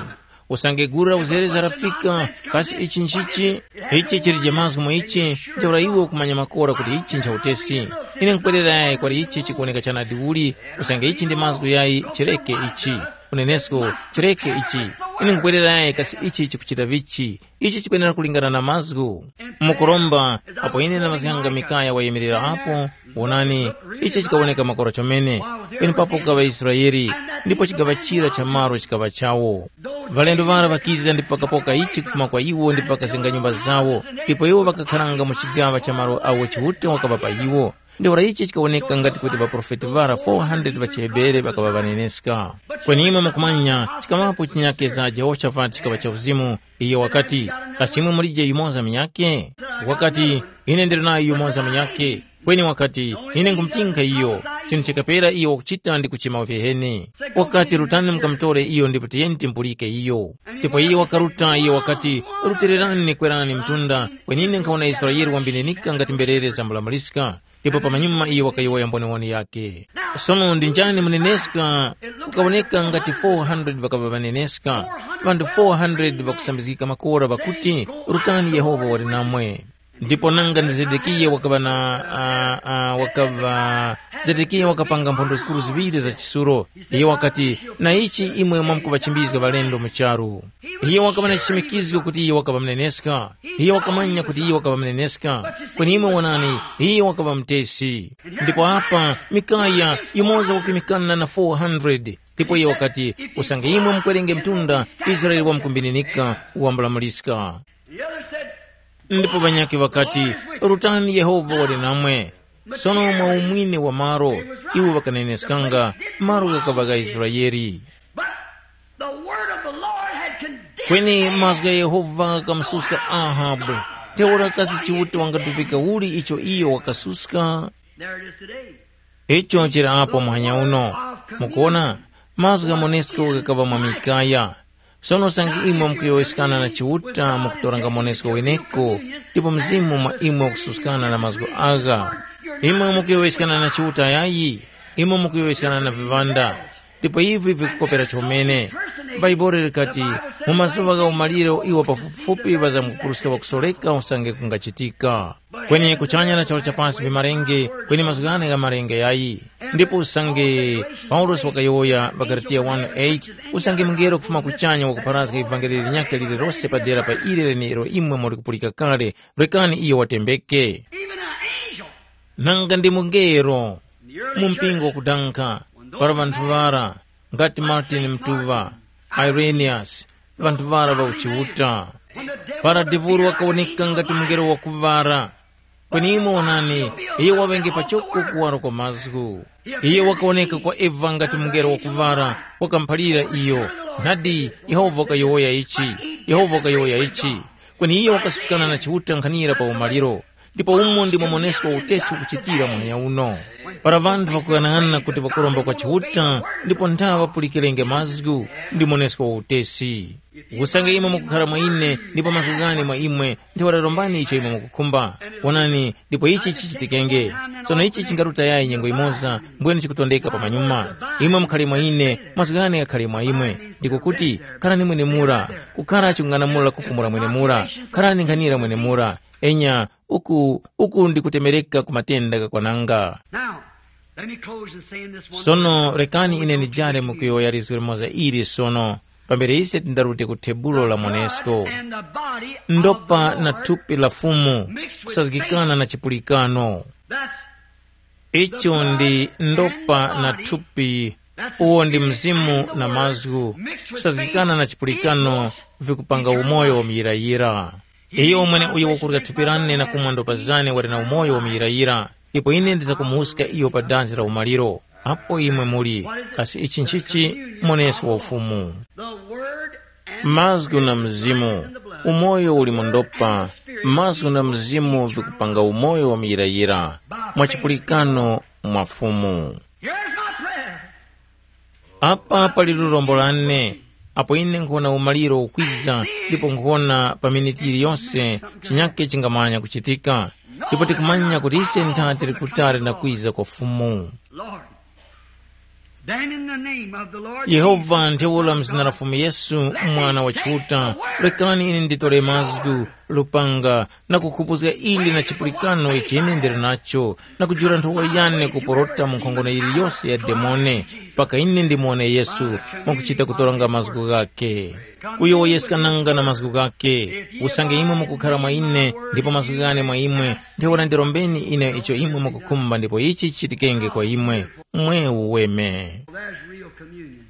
Usange gulu la uzereza lafika, kasi ichi nchichi? Ichi chilije mazgu mu ichi, ntheura iwe ukumanya makora kuti ichi ncha utesi. Ine nkwerera yayi kwali ichi chikuwoneka chanadi uli, usange ichi ndi mazgu yayi chireke ichi. Munenesko, chireke ichi. Ine nkubwererayi kasi ichi chikuchita vichi. Ichi chikwenera kulingana na mazgu. Mukuromba, apo ine ndamazganga Mikaya wayemerera apo, wonani, ichi chikawoneka makora chomene. Penepapo kukaŵa Israeli, ndipo chigaŵa chira cha malo chikaŵa chawo. Ŵalendo ŵara ŵakiza ndipo ŵakapoka ichi kufuma kwa iwo ndipo ŵakazenga nyumba zawo, ndipo iwo ŵakakharanga mu chigaŵa cha malo awo Chiuta wakaŵapa iwo. Ntheura ichi chikawoneka ngati kuti ŵaprofeti ŵara four hundred ŵa chiHebere ŵakaŵa ŵaneneska. Kweni imwe mukumanya, chikaŵapo chinyake za Jehoshafati chikaŵa cha uzimu, iyo wakati, “Kasi imwe mulije yumoza munyakhe?” Wakati, “Ine ndili nayo yumoza munyakhe.” Kweni wakati, “Ine nkhumutinkha iyo.” Chinthu chikapera iyo wakuchita ndi kuchema viheni. Wakati, “Rutani mukamutore iyo ndipo tiyeni timpulike iyo.” Ndipo iyo wakaruta, iyo wakati, “Rutirerani kwerani mtunda, kweni ine nkhawona Israele wambininika ngati mberere zambulambuliska.” Ndipo pamanyuma iyo wakayowoya mboniwoni yakhe. Sono ndi njani muneneska? Kukawoneka ngati four hundred ŵakaŵa ŵaneneska, ŵanthu four hundred ŵakusambizgika makora ŵakuti, “Rutani Yehova wali namwe.” Ndipo nanga ndi Zedekiya wakaŵa na, uh, uh, wakaŵa, Zedekiya wakapanga mphondozgikuru ziŵiri za chisulo. Iye wakati, “Na ichi imwe mwamkuŵachimbizga ŵalendo mu charu.” Iye wakaŵa na chichimikizgo kuti iye wakaŵa mneneska. Iye wakamanya kuti iye wakaŵa mneneska. Kweni imwe wonani, iye wakaŵa mutesi. Ndipo apa, Mikaya, yumoza wakimikana na four hundred. Ndipo iye wakati, “Usange imwe mukwerenge mtunda, Israele wamkumbininika, wambulamuliska.” Ndipo ŵanyakhe ŵakati, “Rutani Yehova wali namwe.” Sono mwa umwine wa malo, iwo ŵakaneneskanga, malo ghakaŵa gha Israele. But the word of the Lord had condemned Kweni mazgu gha Yehova ghakamususka Ahabu. Ntheura kasi Chiuta wangatupika uli icho iyo wakasuska? There it is today. Icho chili apo muhanya uno. Mukuona, mazgu gha Monesko ghakaŵa mwa Mikaya. Sono sangi imwe mukuyowoyeskana na Chiuta mukutoranga Monesko weneko, ndipo Mzimu mwa imwe ukususkana na mazgu agha. Imwe mukuyowoyeskana na Chiuta yayi, imwe mukuyowoyeskana na viŵanda. Ndipo ivi vikukopera chomene. Bhaibuli likati, mu mazuŵa gha umaliro iwo pafupifupi ŵazamkupuruska ŵakusoreka usange kungachitika. Kweni kuchanya na charu cha pasi vimalenge, kweni mazgu ghane gha malenge yayi. Ndipo usange Paulosi wakayowoya pa Galatiya one eight, usange mungelo kufuma kuchanya wakupharazga ivangeli linyakhe lililose padera pa ile lenelo imwe muli kupulika kale, rekani iyo watembeke. Even an angel. Nanga ndi mungelo, mu mpingo wakudankha, para ŵanthu ŵara, ngati Martin Mtuva, Irenaeus, ŵanthu ŵara ŵa uchiuta. Para Devuro wakawoneka ngati mungelo wakuŵara, kweni imwe wonani, iyo waŵenge pachoko kuwaro kwa mazgu. Iyo wakawoneka kwa Eva ngati mungelo wakuŵara, wakamuphalira iyo, nadi, Yehova wakayowoya ichi, Yehova wakayowoya ichi. Kweni iyo wakasuskana na Chiuta nkhanira pa umaliro. Ndipo umo ndimo monesko utesi ukuchitira muhanya uno. Para ŵanthu ŵakughanaghanana kuti ŵakuromba kwa Chiuta, ndipo nthawe ŵapulikirenge mazgu, ndi monesko wa utesi. Usange imwe mukukhara mwa ine, ndipo mazgu ghane mwa imwe, ntheura rombani icho imwe mukukhumba. Wonani, ndipo ichi chichitikenge. Sono ichi chingaruta yayi nyengo yimoza, mbwene chikutondeka pamanyuma. Imwe mukhare mwa ine, mazgu ghane ghakhare mwa imwe. Ndiko kuti, kharani mwenemura, kukhara chikung'anamula kupumula mwenemura, kharani nkhanira mwenemura. Enya, uku, uku ndi kutemereka ku matenda ghakwananga. Now, let me close in saying this one Sono thing. Rekani ine ndijare mu kuyowoya lizgu limoza ili sono, pambere ise tindarute ku tebulo la Monesko. And the body of Ndopa the na Lord thupi la Fumu, mixed with kusazgikana faith. Na chipulikano. That's Icho ndi ndopa na thupi, uwo ndi mzimu na mazgu, kusazgikana na chipulikano, vikupanga umoyo wa muyirayira. Iyo umwene uyo wakurya thupi lane na kumwa ndopa zane wali na umoyo wa muyirayira, ndipo ine ndizakumuwuska iyo pa danzi la umaliro. Apo imwe muli, kasi ichi nchichi? Monesko wa Ufumu. Mazgu na mzimu, umoyo uli mu ndopa, mazgu na mzimu vikupanga umoyo wa muyirayira, mwa chipulikano mwa Fumu. Here's my prayer. Apa pali lurombo lane, apo ine nkhona umaliro ukwiza, ndipo nkhona pa miniti yiliyonse chinyake chingamanya kuchitika, ndipo tikumanya kuti ise ntha tili kutali na kwiza kwa Fumu. Lord, Then in the name of the Lord Yehova Jesus, ntheura mu zina la Fumu Yesu, Mwana wa Chiuta, rekani ine nditore mazgu, lupanga, na kukhupuzga ili na chipulikano ichi ine ndili nacho, na kujula nthowa yane kuporota mu nkhongono yiliyose ya demone, mpaka ine ndimuwone Yesu, mwakuchita kutoranga mazgu ghake. Kuyowoyeskananga na mazgu ghake, usange imwe mukukhara mwa ine, ndipo mazgu ghane mwa imwe, ntheura ndirombeni ine icho imwe mukukhumba ndipo ichi chichitikenge kwa imwe. Mwe uweme. There's real communion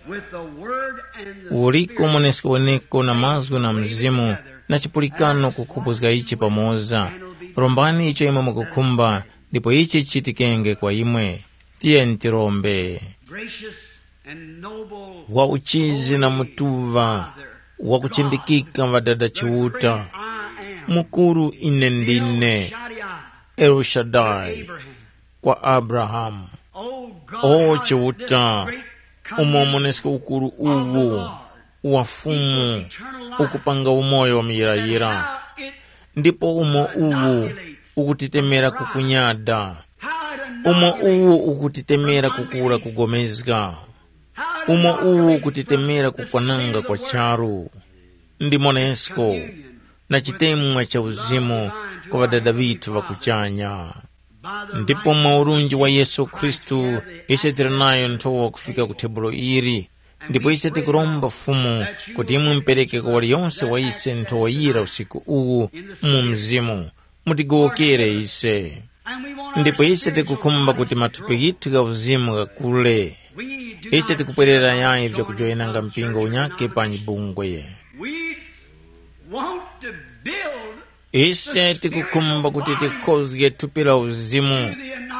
with the word and the Uliko Spirit. Mwenesko weneko na mazgu na mzimu, na chipulikano kukhupuzga ichi pamoza. Rombani icho imwe mukukhumba, ndipo ichi chichitikenge kwa imwe. Tiyeni tirombe. Gracious and noble wa uchizi na mutuva, Father, wa kuchindikika ŵadada Chiuta, I am. Mukuru ine ndine, Shaddai, El Shaddai, Abraham. O God, O how Chiuta, this great umo covenant muneske ukuru of the uwu Lord wa Fumu, eternal life, ukupanga umoyo wa muyirayira, how it ndipo umo uwu ukutitemera kukunyada, how it umo uwu ukutitemera kukura kugomezga, how it umo uwu ukutitemera kukwananga kwa charu, ndi monesko na chitemwa cha uzimu kwa ŵadada ŵithu ŵa kuchanya. Ndipo mwa urunji wa Yesu Khristu, ise tili nayo nthowa kufika ku tebulo ili, ndipo ise tikuromba Fumu kuti imwe mupereke kwa waliyonse wa ise nthowa yira usiku uwu mu mzimu, mutigowokere ise. Ndipo ise tikukhumba kuti mathupi ghithu gha uzimu ghakule. Ise tikupwerera yayi vyakujoyenanga mpingo unyakhe panyi bungwe. We want to build Ise tikukhumba kuti tikhozge thupi la uzimu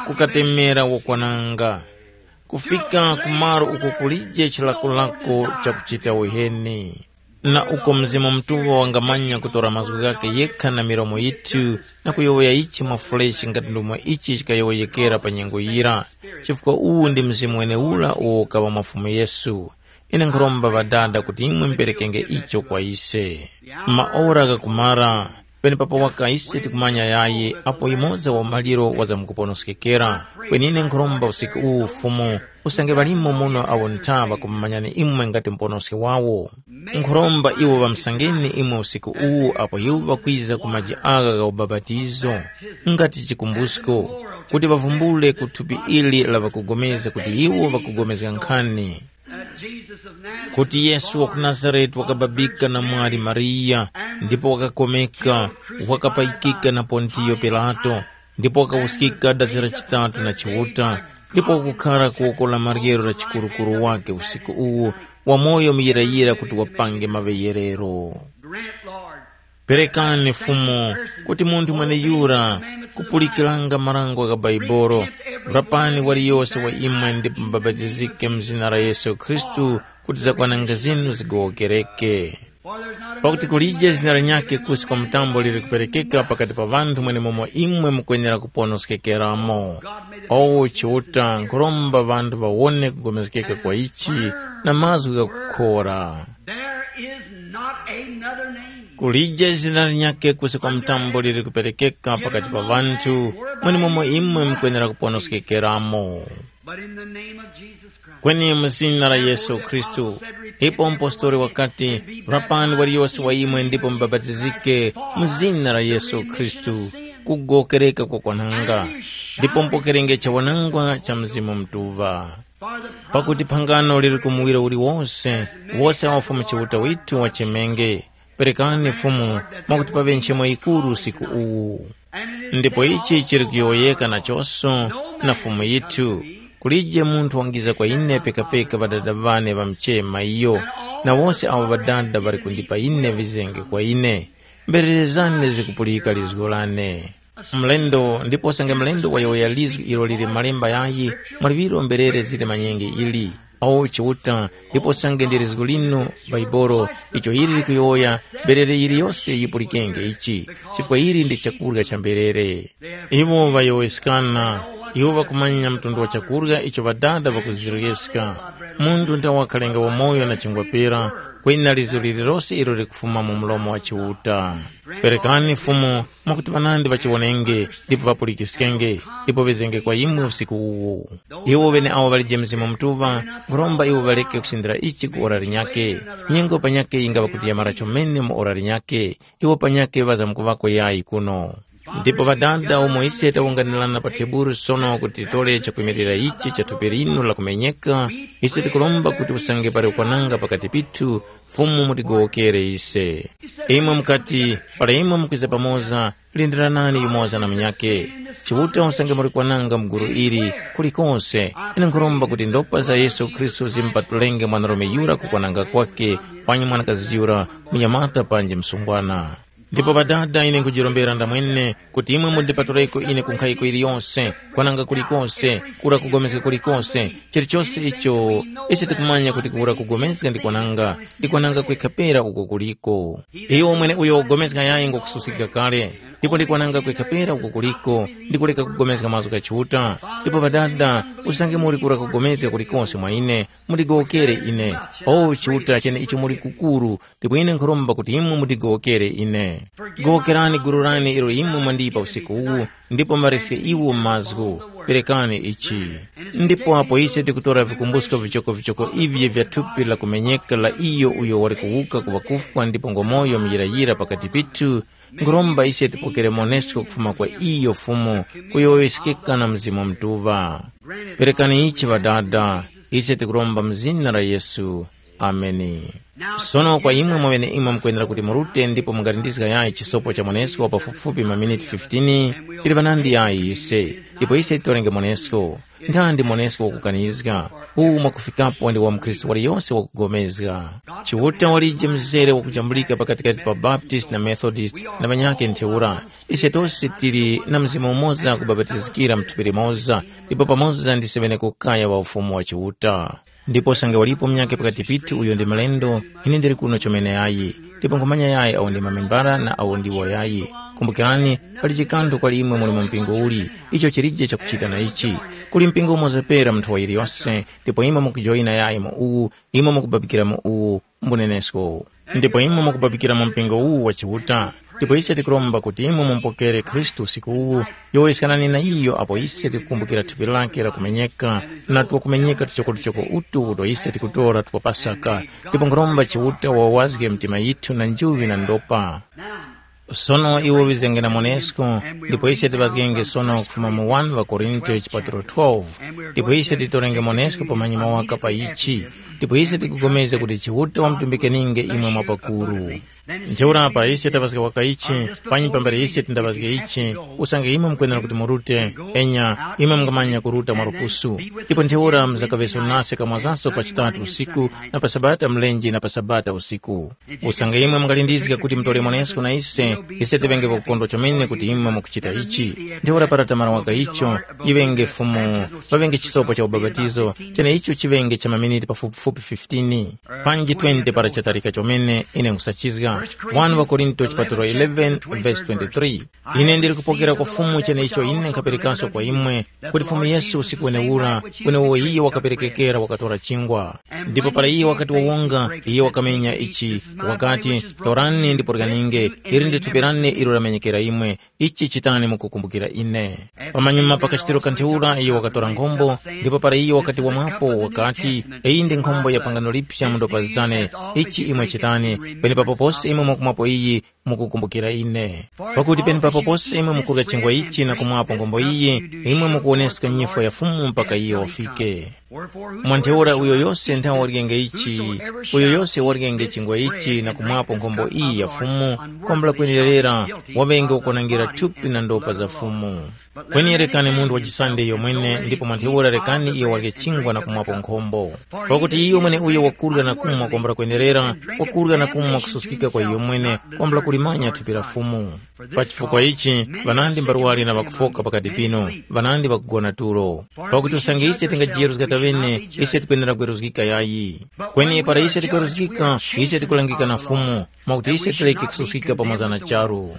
kukatemera wakwananga, kufika ku malo uko kulije chilakolako chakuchita uheni. Na uko Mzimu Mutuŵa wangamanya kutora mazgu ghakhe yekha na milomo yithu na kuyowoya ichi mwafulechi ngati ndomwe ichi chikayowoyekera pa nyengo yira, chifukwa uwu ndi Mzimu wenewura uwo ukaŵa mwa Fumu Yesu. Ine nkhuromba Ŵadada kuti imwe muperekenge icho kwa ise. Maora ghakumara, penepapo waka ise tikumanya yayi apo yumoza wa maliro wazamkuponoskekera. Kweni ine nkhuromba usiku uwu Fumu, usange ŵalimo muno awo ntha ŵakumumanyani imwe ngati Muponoski wawo. Nkhuromba iwo ŵamusangeni imwe usiku uwu apo iwo ŵakwiza ku maji agha gha ubapatizo, ngati chikumbusko, kuti ŵavumbule ku thupi ili la ŵakugomezga kuti iwo ŵakugomezga nkhani. Kuti Yesu wa ku Nazarete wakababika na mwali Mariya, ndipo wakakomeka, wakapayikika na Pontiyo Pilato, ndipo wakawuskika dazi la chitatu na Chiuta, ndipo wakukhara ku woko la maryero la chikurukuru wake usiku uwu, wamoyo muyirayira kuti wapange maŵeyerero. Grant, Lord, Perekani Fumu, kuti munthu mweneyura kupulikiranga marango gha Baibolo, rapani waliyose wa imwe ndipo mubapatizike mu zina la Yesu Khristu kuti zakwananga zinu zigowokereke. Pakuti kulije zina linyakhe kusi kwa mtambo lili kuperekeka pakati pa ŵanthu mwenemomo imwe mukwenera kuponoskekeramo. Owo Chiuta nkhuromba ŵanthu ŵawone kugomezgeka kwa ichi na mazgu ghakukhora. There is not another name. Kulije zina linyakhe kusi kwa mtambo lili kuperekeka pakati pa ŵanthu, mwenemomo imwe mukwenera kuponoskekeramo. But in the name of Jesus Christ. Kweni mu zina la Yesu Khristu. Ipo mpostoli wakati, rapani waliyose wa imwe ndipo mubapatizike mu zina la Yesu Khristu, kugokereka kwa kwananga, ndipo mupokerenge chawanangwa cha Mzimu Mutuŵa. Pakuti phangano lili ku muwiro uliwose, wose awo Fumu Chiuta withu wachemenge. Perekani Fumu, mwakuti paŵe nchemo yikuru usiku uwu. Ndipo ichi chili kuyowoyeka nachonso na Fumu yithu, kulije munthu wangiza kwa ine pekapeka Ŵadada ŵane ŵamuchema iyo, na wose awo Ŵadada ŵali kundipa ine vizenge kwa ine. Mberere zane zikupulika lizgu lane. Mlendo, ndipo usange mlendo wayowoya lizgu ilo lili malemba yayi, mwa liŵiro mberere zili manyenge ili. O Chiuta, ndipo usange ndi lizgu linu, Baibolo, icho ili likuyowoya, mberere yiliyose yipulikenge ichi, chifukwa ili ndi chakurya cha mberere. Iwo ŵayowoyeskana, iwo ŵakumanya mtundu wa chakurya icho Ŵadada ŵakuziryeska. Munthu nda wakhalenga wamoyo na chingwa pera, Kweni na lizo lililose ilo likufuma mu mlomo wa Chiuta. Perekani Fumu, mwakuti ŵanandi ŵachiwonenge, ndipo ŵapulikiskenge, ndipo ŵezenge kwa imwe usiku uwu. Iwo ŵeneawo ŵalije Mzimu Mutuŵa, nkhuromba iwo ŵareke kusindira ichi ku ora linyakhe. Nyengo panyakhe yingaŵa kuti yamara chomene mu ora linyakhe, iwo panyakhe ŵazamkuŵako yayi kuno. Ndipo Ŵadada, umo ise tawunganirana pa teburu sono kuti titore chakwimirira ichi cha thupi linu lakumenyeka, ise tikuromba kuti usange pali kukwananga pakati pithu, Fumu mutigowokere ise. Imwe mukati, para imwe mukwiza pamoza, lindiranani yumoza na munyakhe. Chiuta usange muli kwananga mu gulu ili, kulikonse, ine nkhuromba kuti ndopa za Yesu Khristu zimupatulenge mwanarume yura ku kwananga kwakhe, panyi mwanakazi yura, munyamata panji msungwana. Ndipo Ŵadada, ine nkhujirombera ndamwene kuti imwe mundipatuleko ine ku nkhayiko iliyonse, kwananga kulikonse, kura kugomezga kulikonse, chilichose icho ise tikumanya kuti kura kugomezga ndi kwananga, ndi kwananga kwekha pera uko kuliko. Iyo mwene uyo wagomezga yayi ngokususkika kale, ndipo ndi kwananga kwekha pera uko kuliko, ndi kuleka kugomezga mazgu gha Chiuta. Ndipo Ŵadada, usange muli kura kugomezga kulikonse mwa ine, mundigowokere ine. O Chiuta chene icho muli kukuru, ndipo ine nkhuromba kuti imwe mundigowokere ine. Gowokerani gulu lane ilo imwe mwandipa usiku uwu, ndipo mareske iwo mazgu, perekani ichi. Ndipo apo ise tikutora vikumbusko vichokovichoko ivyo vya thupi la kumenyeka la iyo uyo wali kuwuka ku ŵakufwa ndipo ngomoyo muyirayira pakati pithu, nkhuromba ise tipokere monesko kufuma kwa iyo Fumu, kuyowoyeskeka na Mzimu Mutuŵa. Perekani ichi Ŵadada, ise tikuromba mu zina la Yesu. Ameni. Sono kwa imwe mwaŵeneimwe mukwenera kuti murute ndipo mungalindizga yayi chisopo cha mwanesko pafupifupi maminiti fifteen, tili ŵanandi yayi ise, ndipo ise titorenge mwanesko. Ntandi mwanesko wakukanizga? Uwu mwakufikapo ndi wa mukhristu waliyose wakugomezga. Chiuta walije mzere wakujambulika pakatikati pa Baptist na Methodist na ŵanyakhe ntheura. Ise tose tili na mzimu umoza kubapatizikira mu thupi limoza, ndipo pamoza ndi semene kukaya wa Ufumu wa Chiuta. Ndipo sange walipo munyakhe pakati pithu uyo ndi mlendo, ine ndili kuno chomene yayi, ndipo nkhumanya yayi awo ndi mamembara na awo ndiwo yayi. Kumbukirani, pali chikantho kwali imwe muli mu mpingo uli, icho chilije chakuchita na ichi. Kuli mpingo umoza pera munthu wa yiliyose, ndipo imwe mukujoyina yayi mu uwu, imwe mukubabikira mu uwu, mbunenesko. Ndipo imwe mukubabikira mu mpingo uwu wa Chiuta, ndipo ise tikuromba kuti imwe mumupokere Khristu usiku uwu, yowoyeskanani na iyo apo ise tikukumbukira thupi lake la kumenyeka, na twakumenyeka tuchokotuchoko utu uto ise tikutora twa Pasaka, ndipo nkhuromba Chiuta wawazge mitima yithu na njuŵi na ndopa. Sono iwo ŵizenge na mwanesko, ndipo ise tiŵazgenge sono kufuma mu wani ŵaKorinto chipatulo twelve, ndipo ise titorenge mwanesko pamanyuma waka pa ichi, ndipo ise tikupulikana kuti Chiuta wamutumbikeninge imwe mwapakuru. Ntheura apa ise taŵazga waka ichi, panyi pambere ise tindaŵazge ichi, usange imwe mukwenera kuti murute, enya, imwe mungamanya kuruta mwa lupusu. Ndipo ntheura muzakaŵeso nase kamwazaso pa chitatu usiku, na pa Sabata mlenje na pa Sabata usiku. Usange imwe mungalindizga kuti mutore mwanesko na ise, ise tiŵenge pakukondwa chomene kuti imwe mukuchita ichi. Ntheura para tamara waka icho, yiŵenge Fumu, paŵenge chisopo cha ubapatizo, cheneicho chiŵenge cha maminiti pafupifupi fifteen, panji twenty para chatarika chomene, ine nkhusachizga. Wani ŵaKorinto chipatulo eleven verse twenty-three. Ine ndili kupokera kwa Fumu cheneicho ine nkhaperekanso kwa imwe, kuti Fumu Yesu usiku wenewura, kwenewo iye wakaperekekera wakatora chingwa. Ndipo para iye wakati wawonga, iye wakamenya ichi, wakati, "Torani ndipo ryaninge, ili ndi thupi lane ilo lamenyekera imwe, ichi chitani mukukumbukira ine." Pamanyuma pa kachitiro ka ntheura, iye wakatora nkhombo, ndipo para iye wakati wamwapo, wakati, "Iyi ndi nkhombo ya phangano liphya mu ndopa zane, ichi imwe chitani, penepapo pose imwe mwakumwapo iyi, mukukumbukira ine. Pakuti penepapo pose imwe mukurya chingwa ichi na kumwapo nkhombo iyi, imwe mukuwoneska nyifwa ya Fumu mpaka iyo wafike." Mwa ntheura uyo yose nthawe waryenge ichi, uyo yose waryenge chingwa ichi na kumwapo nkhombo iyi ya Fumu, kwambula kwenerera, waŵenge wakunangira thupi na ndopa za Fumu. Kweni rekani munthu wachisande iyo mwene, ndipo mwa ntheura rekani iyo warye chingwa na kumwapo nkhombo. Pakuti iyo mweneuyo wakurya na kumwa kwambula kwenerera, wakurya na kumwa kususkika kwa iyo mwene, kwambula kulimanya thupi la Fumu. Pa chifukwa ichi, ŵanandi mbarwari na ŵakufoka pakati pinu, ŵanandi ŵakugona tulo. Pakuti usange ise tingajiyeruzga kaŵene, ise tikwenera kweruzgika yayi. Kweni para ise tikweruzgika, ise tikulangika na Fumu, mwakuti ise tireke kususkika pamoza na charu.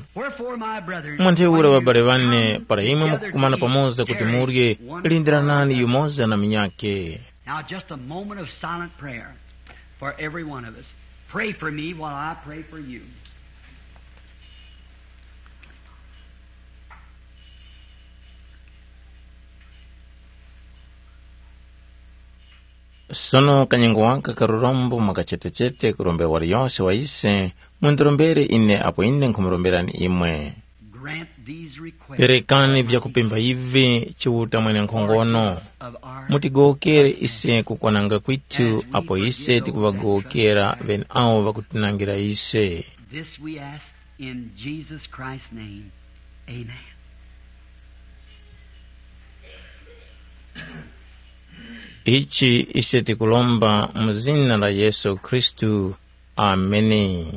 Mwa ntheura ŵabale ŵane, para imwe mukukumana pamoza kuti murye, lindiranani yumoza na munyakhe. Now, just a moment of silent prayer for every one of us. Pray for me while I pray for you. Sono kanyengo waka karurombo mwakachetechete kurombe wali yose wa ise, mundirombere ine apo ine nkhumuromberani imwe. Grant these requests. Perekani vyakupemba ivi Chiuta mwenenkhongono. Of our mutigowokere ise kukwananga kwithu apo ise tikuvagowokera ŵeneawo ŵakutinangira ise. This we ask in Jesus Christ's name. Amen. Ichi ise tikulomba mu zina la Yesu Khristu. Ameni.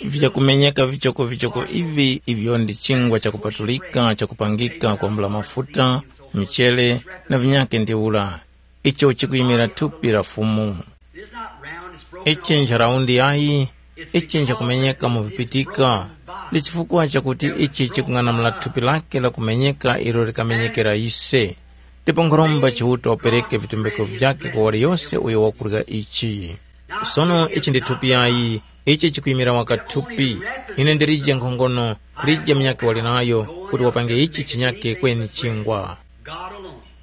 Vyakumenyeka vichokovichoko ivi ivyo ndi chingwa chakupatulika chakupangika kwambula mafuta, michele, na vinyake ntheura, icho chikuyimira thupi la Fumu. Ichi ncharaundi yayi, ichi nchakumenyeka mu vipitika, ndi chifukwa chakuti ichi chikung'anamula thupi lake la kumenyeka ilo likamenyekera ise. Ndipo nkhuromba Chiuta wapereke vitumbiko vyake kwa waliyose uyo wakurya ichi. Sono ichi ndi thupi yayi, ichi chikuyimira waka thupi. Ine ndilije nkhongono, kulije munyakhe wali nayo, kuti wapange ichi chinyakhe kweni chingwa.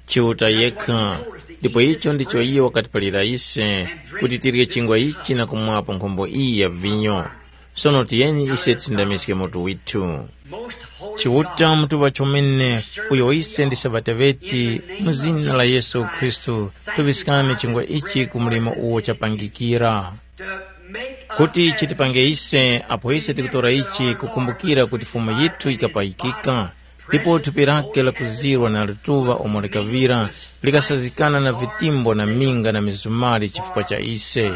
Chiuta yekha, ndipo icho ndicho iyo wakatipalira ise, kuti tirye chingwa ichi na kumwapo nkhombo iyi ya vinyo. Sono tiyeni ise tisindamiske mutu withu. Chiuta mutuŵa chomene, uyo ise ndi Sabata ŵeti, mu zina la Yesu Khristu, tuŵiskani chingwa ichi ku mlimo uwo chapangikira. Kuti chitipange ise, apo ise tikutora ichi, kukumbukira kuti Fumu yithu yikapayikika, ndipo thupi lake lakuzirwa na lituŵa umo likaŵira, likasazikana na vitimbo na minga na mizumari chifukwa cha ise.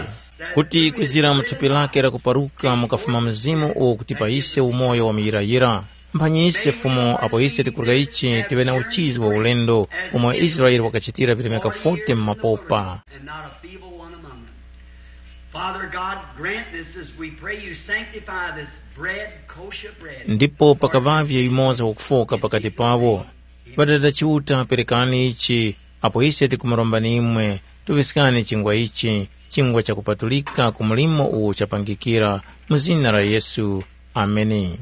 Kuti kwizira mu thupi lake lakuparuka mukafuma Mzimu uwo kutipa ise umoyo wa muyirayira. Mphanyi ise Fumu, apo ise tikurya ichi, tiŵe na uchizi wa ulendo, umo Israele wakachitira vilemeka forty mu mapopa. And not a feeble one among them. Father God, grant this as we pray you sanctify this bread, kosher bread. Ndipo pakaŵavye yumoza wakufoka pakati pawo. Ŵadada Chiuta, perekani ichi, apo ise tikumurombani imwe, tuŵiskani chingwa ichi, chingwa chakupatulika ku mlimo uwo chapangikira, mu zina la Yesu. Ameni.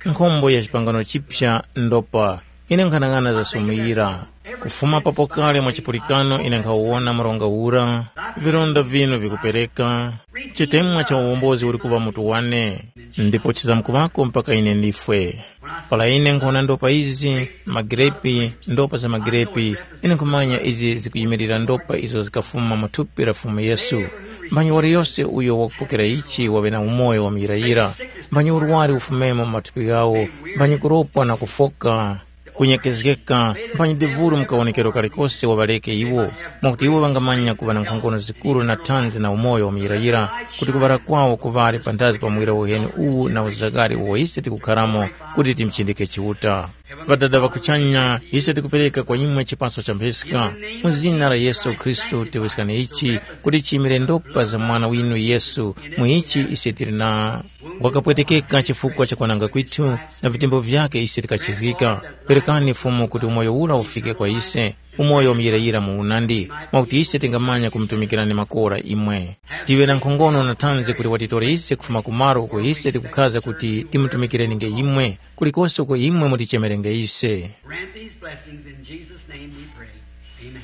Nkhombo ya chipangano chipya ndopa, ine nkhanang'ana zasumuyira. Kufuma papo kale mwa chipulikano ine nkhawuwona mronga ura, vilonda vinu vikupereka, chitemwa cha uwombozi uli kuŵa mutu wane, ndipo chizamkuŵako mpaka ine ndifwe. Para ine nkhona ndopa izi, magirepi, ndopa za magirepi, ine nkhumanya izi zikuyimirira ndopa izo zikafuma mu thupi la Fumu Yesu. Mphanyi waliyose uyo wakupokera ichi waŵe na umoyo wa muyirayira. Mphanyi urwari ufumemo mu mathupi ghawo, mphanyi kuropwa na kufoka kunyekezgeka, mphanyi devulu mu kawonekero kalikose waŵareke iwo, mwakuti iwo ŵangamanya kuŵa na nkhongono zikuru na thanzi na umoyo wa muyirayira, kuti kuŵala kwawo kuŵale panthazi pa muwira uheni uwu na uzagari uwo ise tikukharamo, kuti timuchindike Chiuta. Ŵadada ŵa kuchanya, ise tikupereka kwa imwe chipaso cha mpheska. Mu zina la Yesu Khristu, teŵeskani ichi, kuti chimire ndopa za Mwana winu Yesu, mu ichi ise tili na wakapwetekeka chifukwa cha kwananga kwithu, na vitembo vyake ise tikachizgika. Perekani Fumu kuti umoyo ura ufike kwa ise, umoyo wa muyirayira mu unandi, mwakuti ise tingamanya kumutumikirani makora imwe. Tiŵe na nkhongono na thanzi kuti watitore ise kufuma kumaro uko ise tikukhaza kuti timutumikireni nge imwe, kulikose uko imwe mutichemere nge ise. Grant these blessings in Jesus' name we pray. Amen.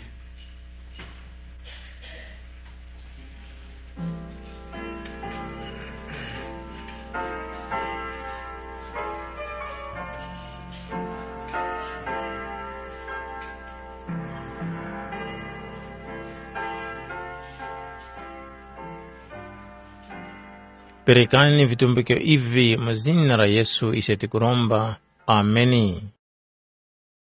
Perekani vitumbikiro ivi mu zina la Yesu ise tikuromba. Ameni.